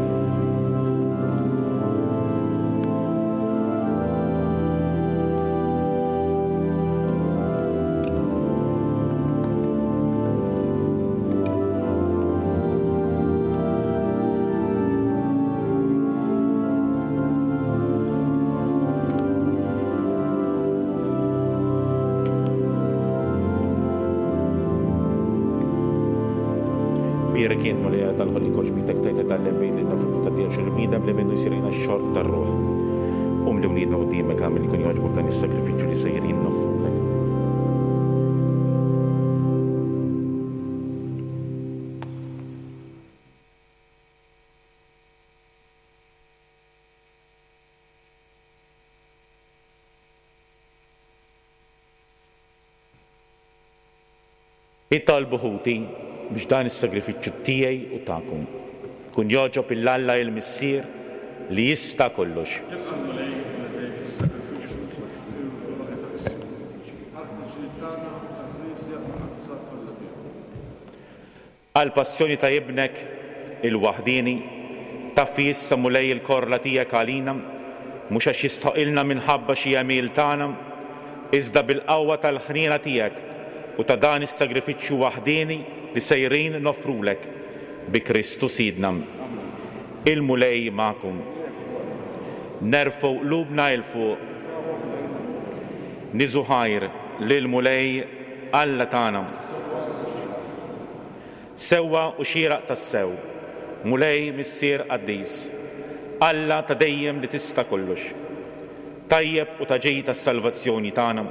Bierek int Mulej tal-ħolqien għax b'idek tajt tal-inbid li nofru ta' tiegħek xogħol bniedem li minnu jsir għalina x-xorb tar-ruħ. Umli wliedna quddiemek agħmel li jkun jogħġbok dan is-sagrifiċċju li sejrin noffrulek. Itolbu ħuti biex dan is-sagrifiċċju tiegħi u tagħkom kun jogħġob lil Alla il-Missier li jista' kollox. Għall-passjoni ta' ibnek il-waħdieni, taffi issa Mulej il-korla tiegħek għalina, mhux għax jistħoqilna minħabba xi għemil tagħna, iżda bil-qawwa tal-ħniena tiegħek u ta' dan is-sagrifiċċju waħdieni li sejrin noffrulek bi Kristu Sidna. Il-Mulej magħkom. Nerfgħu qlubna 'l fuq. Niżu ħajr lil Mulej Alla tagħna. Sewwa u xieraq tassew, Mulej Missier Qaddis, Alla ta' dejjem li tista' kollox, tajjeb u ta' ġej tas-salvazzjoni tagħna,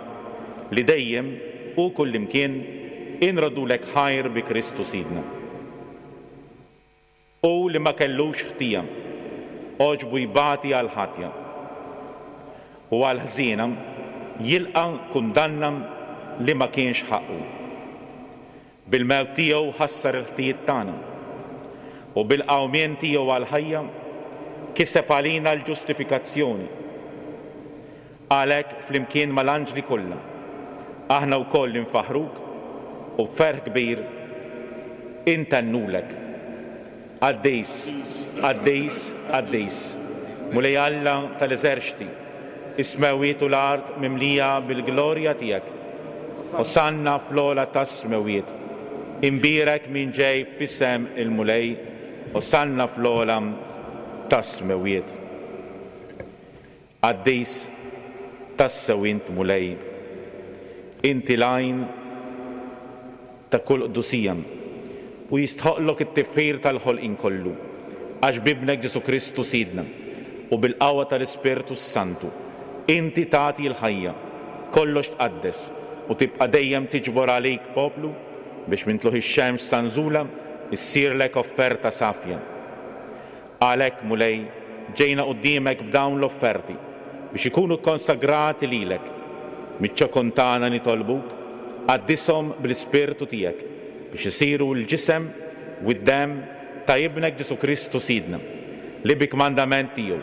li dejjem u kullimkien inroddulek ħajr bi Kristu Sidna. U li ma kellux ħtija, għoġbu jbati għal ħatja, u għal ħżiena jilqa' kundanna li ma kienx ħaqqu. Bil-mewt tiegħu ħassar il-ħtijiet tagħna, u bil-qawmien tiegħu għall-ħajja kiseb għalina l-ġustifikazzjoni. Għalhekk flimkien mal-anġli kollha, aħna wkoll infaħruk u b'ferħ kbir intennulek. Qaddis, qaddis, qaddis, Mulej Alla tal-eżerċti, is-smewwiet u l-art mimlija bil-glorja tiegħek. Osanna fl-ogħla tas-smewwiet. Imbierek min ġej f'isem il-Mulej, osanna fl-ogħla tas-smewwiet. Qaddis tassew int Mulej, inti l-għajn ta' kull qdusija, u jistħoqlok it-tifħir tal-ħolqien kollu, għax b'ibnek Ġesù Kristu Sidna u bil-qawwa tal-Ispirtu Santu inti tagħti l-ħajja, kollox tqaddes u tibqa' dejjem tiġbor għalik poplu biex minn tluħ ix-xemx sa nżula issirlek offerta safja. Għalhekk Mulej ġejna quddiemek b'dawn l-offerti biex ikunu konsagrati lilek. Miċ-ċokon tagħna nitolbuk, qaddishom bl-Ispirtu tiegħek biex isiru l-ġisem u d-demm ta' ibnek Ġesù Kristu Sidna, li bi kmandament tiegħu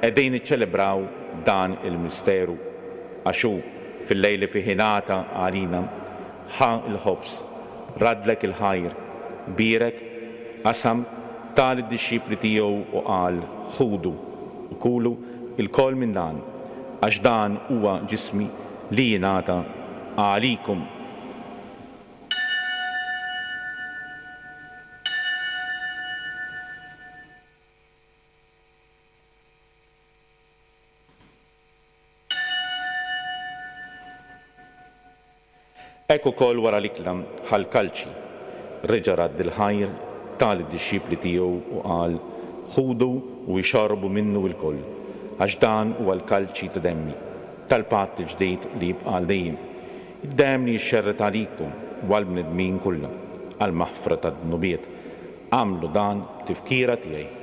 qegħdin niċċelebraw dan il-misteru. Għax hu fil-lejl li fih ingħata għalina, ħa l-ħobż, raddlek il-ħajr, bierek, qasam, ta lid-dixxipli tiegħu u qal, Ħudu u kulu lkoll minn dan, għax dan huwa ġismi li jingħata għalikum. Hekk ukoll wara l-ikla ħa l-kalċi, reġa' radd il-ħajr, ta lid-dixxipli tiegħu u qal, Ħudu u ixorbu minnu lkoll, għax dan huwa l-kalċi ta' demmi, tal-patt il-ġdid li jibqa' għal dejjem, id-demm li jixxerred għalikum u għall-bnedmin kollha għall-maħfra tad-dnubiet. Agħmlu dan b'tifkira tiegħi.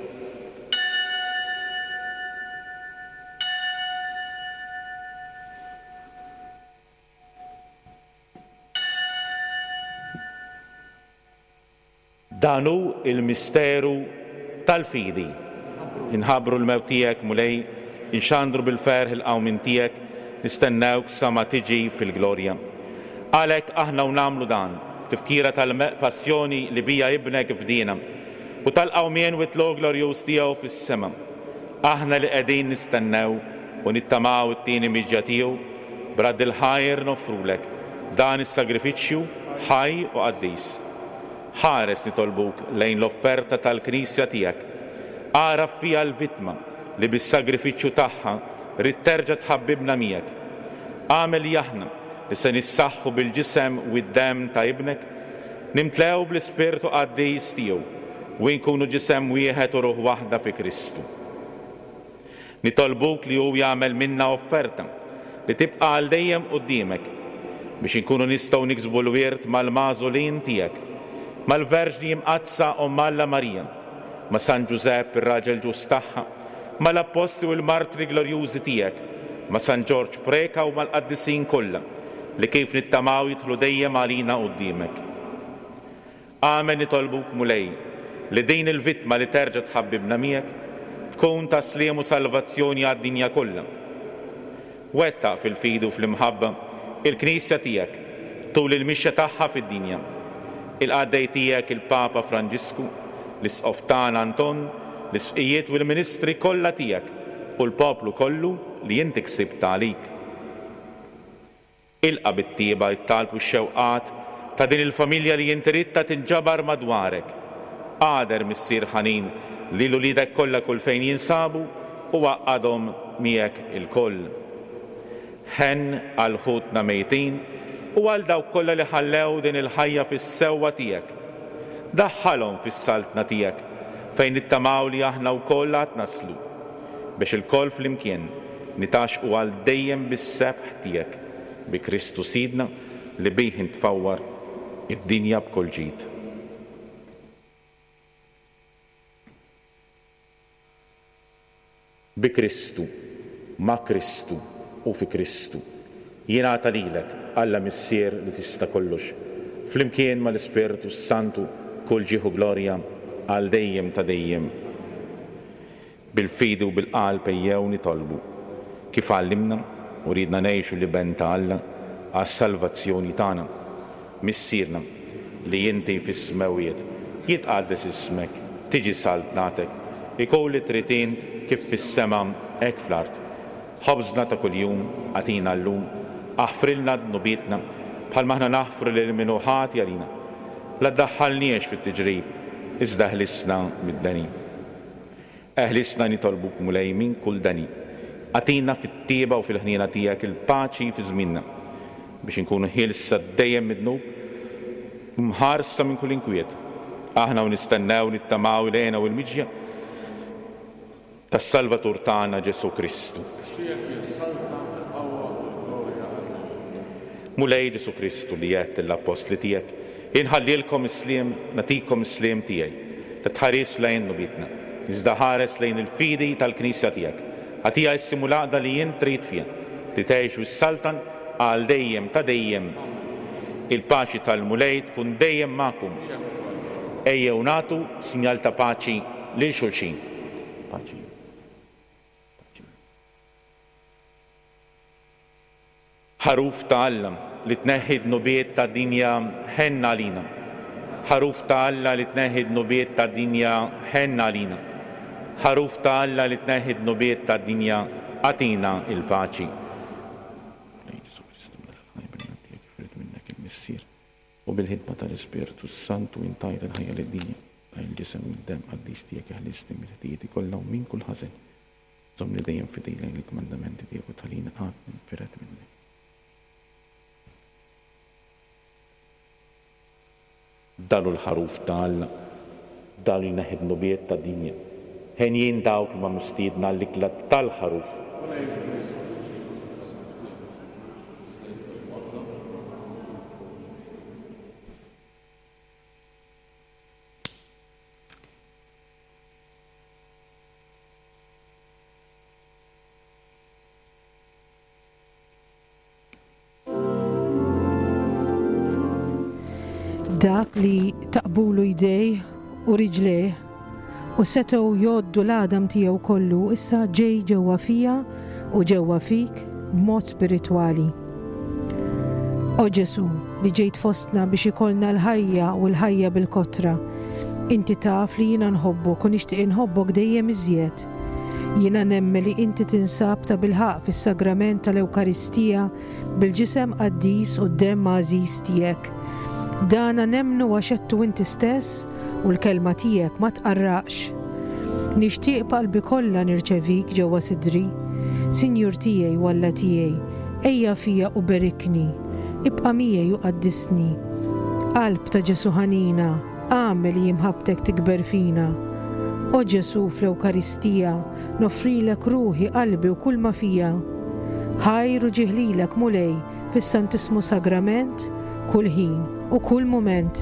Dan hu l-misteru tal-fidi. Inħabbru l-mewt tiegħek, Mulej, inxandru bil-ferħ il-qawmien tiegħek, nistennewk sa ma tiġi fil-glorja. Għalhekk aħna u nagħmlu dan, tifkira tal-passjoni li bija ibnek fdina, u tal-qawmien u t-tlugħ glorjuż tiegħu fis-sema. Aħna li qegħdin nistennew u nittamaw it-tieni miġja tiegħu, b'radd il-ħajr noffrulek dan is-sagrifiċċju ħaj u qaddis. Ħares nitolbuk lejn l-offerta tal-Knisja tiegħek. Agħraf fiha l-vittma li bis-sagrifiċċju tagħha rrid terġa' tħabbibna miegħek. Agħmel li aħna li se nissaħħu bil-ġisem u d-demm ta' ibnek, nimtlew bl-Ispirtu Qaddis tiegħu u nkunu ġisem wieħed u ruħ waħda fi Kristu. Nitolbuk li hu jagħmel minna offerta li tibqa' għal dejjem quddiemek biex inkunu nistgħu niksbu l-wirt mal-magħżulin tiegħek, mal-Verġni Imqaddsa Omm Alla Marija, ma' San Ġużepp ir-raġel ġust tagħha, mal-Appostli u l-martri glorjużi tiegħek, ma' San Ġorġ Preca u mal-qaddisin kollha li kif nittamaw jidħlu dejjem għalina quddiemek. Amen nitolbuk Mulej li din il-vittma li terġa' tħabbibna miegħek tkun ta' sliem u salvazzjoni għad-dinja kollha. Wettaq fil-fidi u fl-imħabba il-Knisja tiegħek tul il-mixja tagħha fid-dinja. Il-qaddej tiegħek il-Papa Franġisku, l-Isqof tagħna Anton, l-isqfijiet u l-ministri kollha tiegħek u l-poplu kollu li inti ksibt għalik. Ilqa' bit-tieba t-talb u x-xewqat ta' din il-familja li inti ridtha tinġabar madwarek. Għader Missier ħanin lil uliedek kollha kull fejn jinsabu u għaqqadhom miegħek ilkoll. Ħenn għal ħutna mejtin u għal dawk kollha li ħallew din il-ħajja fis-sewwa tiegħek. Daħħalhom fis-saltna tiegħek fejn nittamaw li aħna wkoll għad naslu, biex ilkoll flimkien nitgħaxqu għal dejjem bis-sebħ tiegħek, bi Kristu Sidna li bih intfawwar id-dinja b'kull ġid. Bi Kristu, ma' Kristu u fi Kristu, jingħata lilek, Alla Missier li tista' kollox, flimkien mal-Ispirtu Santu kull ġieħ u glorja għal dejjem ta' dejjem. Bil-fidi u bil-qalb ejjew nitolbu, kif għallimna u ridna ngħixu l-Iben ta' Alla għas-salvazzjoni tagħna. Missierna li inti fis-smewwiet, jitqaddes ismek, tiġi saltnatek, ikun li trid int kif fis-sema hekk fl-art. Ħobżna ta' kuljum agħtina llum, aħfrilna dnubietna bħalma aħna naħfru lil min hu ħati għalina. La ddaħħalniex fit-tiġrib, iżda ħlisna mid-deni. Eħlisna nitolbuk Mulej minn kull deni. Agħtina fit-tieba u fil-ħniena tiegħek il-paċi fi żmienna, biex inkunu ħielsa dejjem mid-dnub u mħarsa minn kull inkwiet. Aħna u nistennew nittamaw l-hena u l-miġja tas-Salvatur tagħna Ġesù Kristu. Mulej Ġesù Kristu li għedt lill-appostli tiegħek, inħallilkom is-sliem, nagħtikom is-sliem tiegħi, li tħares lejn dnubietna, iżda ħares lejn il-fidi tal-Knisja tiegħek. Agħtiha s-sliem u l-għaqda li int trid fiha, li tgħix u s-saltan għal dejjem ta' dejjem. Il-paċi tal-Mulej tkun dejjem magħkom. Ejjew nagħtu sinjal ta' paċi lil xulxin. Paċi. Ħaruf ta' Alla li tneħħi dnubiet tad-dinja, ħenn għalina. Ħaruf ta' Alla li tneħħi dnubiet tad-dinja, ħenn għalina. Ħaruf ta' Alla li tneħħi dnubiet tad-dinja, agħtina l-paċi. U bil-ħidma tal-Ispirtu Santu intajt il-ħajja lid-dinja, tal-ġisem u d-demm qaddis tiegħek eħlisni mill-ħtijieti kollha u minn kull ħażen. Żommni dejjem fidil lejn il-kmandamenti tiegħek u tħallini qatt ninfired minnek. Dan hu l-ħaruf ta' Alla, dan li jneħħi dnubiet tad-dinja. Henjin dawk li ma mistiedna għall-ikla tal-ħaruf. Dak li taqbulu jdej u riġlejh u setgħu jgħoddu l-għadam tiegħu kollu issa ġej ġewwa fija u ġewwa fik b'mod spiritwali. O Ġesu, li ġejt fostna biex ikollna l-ħajja u l-ħajja bil-kotra, inti taf li jiena nħobbok u nixtieq inħobbok dejjem iżjed. Jiena nemmen li inti tinsab ta' bilħaqq fis-sagrament tal-Ewkaristija bil-ġisem qaddis u d-demm għażiż tiegħek. Dana nemmnu għax għedtu inti stess u l-kelma tiegħek ma tqarraqx. Nixtieq b'qalbi kollha nirċevik ġewwa sidri. Sinjur tiegħi u Alla tiegħi, ejja fija u berikni, ibqa' miegħi u qaddisni. Qalb ta' Ġesu ħanina, agħmel li imħabbtek tikber fina. O Ġesu fl-Ewkaristija, noffrilek ruħi, qalbi u kull ma fija. Ħajr u ġieħ lilek, Mulej, fis-Santissmu Sagrament, kull ħin u kull mument.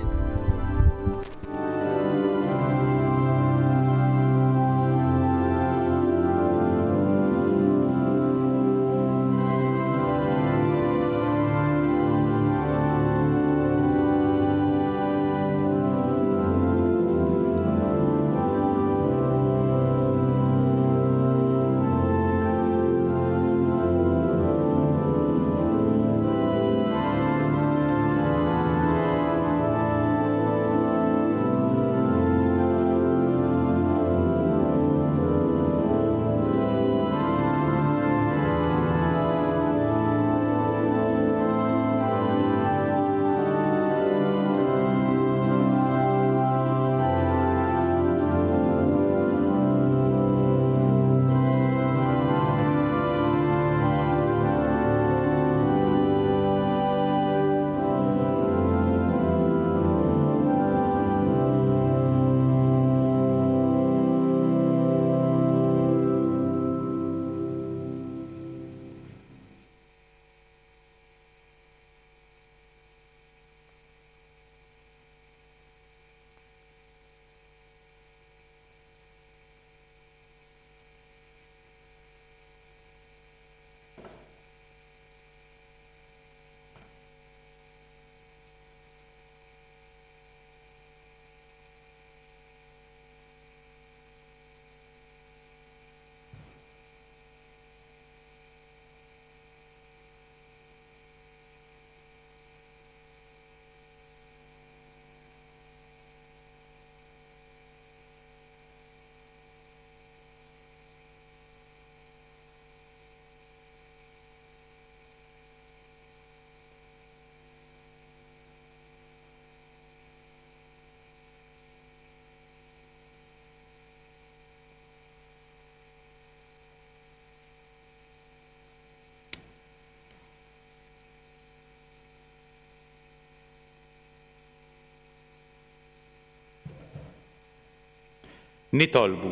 Nitolbu.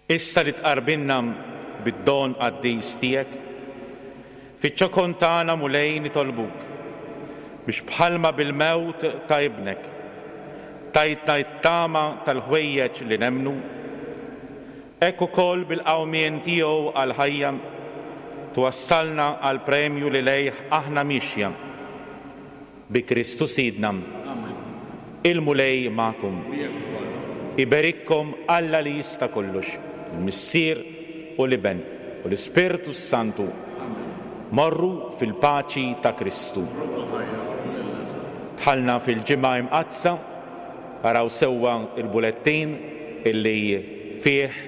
Issa li tqarbinna bid-don qaddis tiegħek, fiċ-ċokon tagħna Mulej nitolbuk biex bħalma bil-mewt ta' ibnek tajtna t-tama tal-ħwejjeġ li nemmnu, hekk ukoll bil-qawmien tiegħu għall-ħajja twassalna għall-premju li lejh aħna mixja. Bi Kristu Sidna. Il-Mulej magħkom. Iberikkom Alla li jista' kollox, il-Missier u l-Iben u l-Ispirtu Santu. Morru fil-paċi ta' Kristu. Dħalna fil-Ġimgħa Imqaddsa, araw sewwa il-bulettin illi fih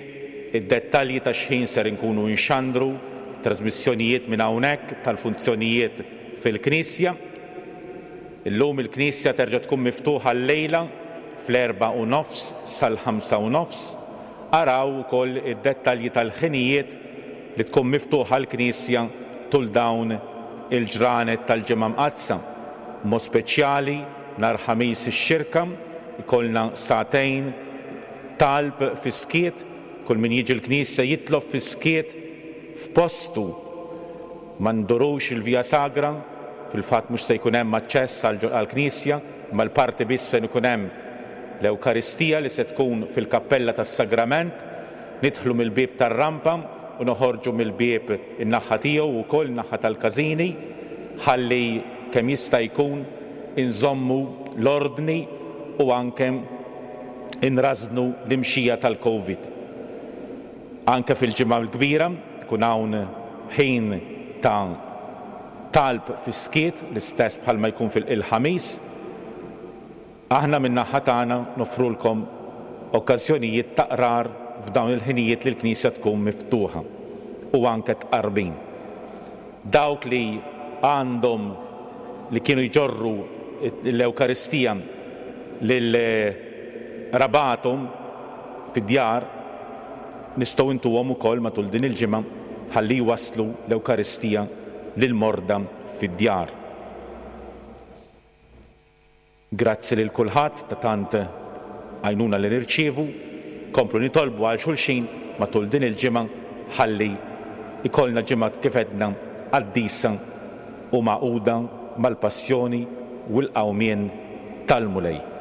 id-dettalji ta' xħin ser inkunu nxandru trasmissjonijiet minn hawnhekk tal-funzjonijiet fil-Knisja. Illum il-Knisja terġa' tkun miftuħa llejla fl-erbgħa u nofs sal-ħamsa u nofs. Araw ukoll id-dettalji tal-ħinijiet li tkun miftuħa l-Knisja tul dawn il-ġranet tal-Ġimgħa Mqaddsa. Mod speċjali nhar Ħamis ix-Xirka ikollna sagħtejn talb fis-skiet, kull min jiġi l-Knisja jitlob fis-skiet f'postu. Ma ndurux il-Via Sagra, fil-fatt mhux se jkun hemm aċċess għall-Knisja, imma l-parti biss fejn ikun hemm l-Ewkaristija li se tkun fil-Kappella tas-Sagrament. Nidħlu mill-bieb tar-rampa u noħorġu mill-bieb in-naħa tiegħu wkoll in-naħa tal-każini, ħalli kemm jista' jkun inżommu l-ordni u anke inrażnu l-imxija tal-Covid. Anke fil-Ġimgħa l-Kbira ikun hawn ħin ta' talb fis-skiet, l-istess bħalma jkun fil-Ħamis. Aħna min-naħa tagħna noffrulkom okkażjonijiet ta' qrar f'dawn il-ħinijiet li l-Knisja tkun miftuħa u anke tqarbin. Dawk li għandhom li kienu jġorru l-Ewkaristija lil rabatom fid-djar nistgħu intuhom ukoll matul din il-ġimgħa ħalli jwasslu l-Ewkaristija lil morda fid-djar. Grazzi lil kulħadd ta' tant għajnuna li nirċievu, komplu nitolbu għal xulxin matul din il-ġimgħa ħalli ikollna ġimgħa kif għedna qaddisa u magħquda mal-passjoni u l-qawmien tal-Mulej.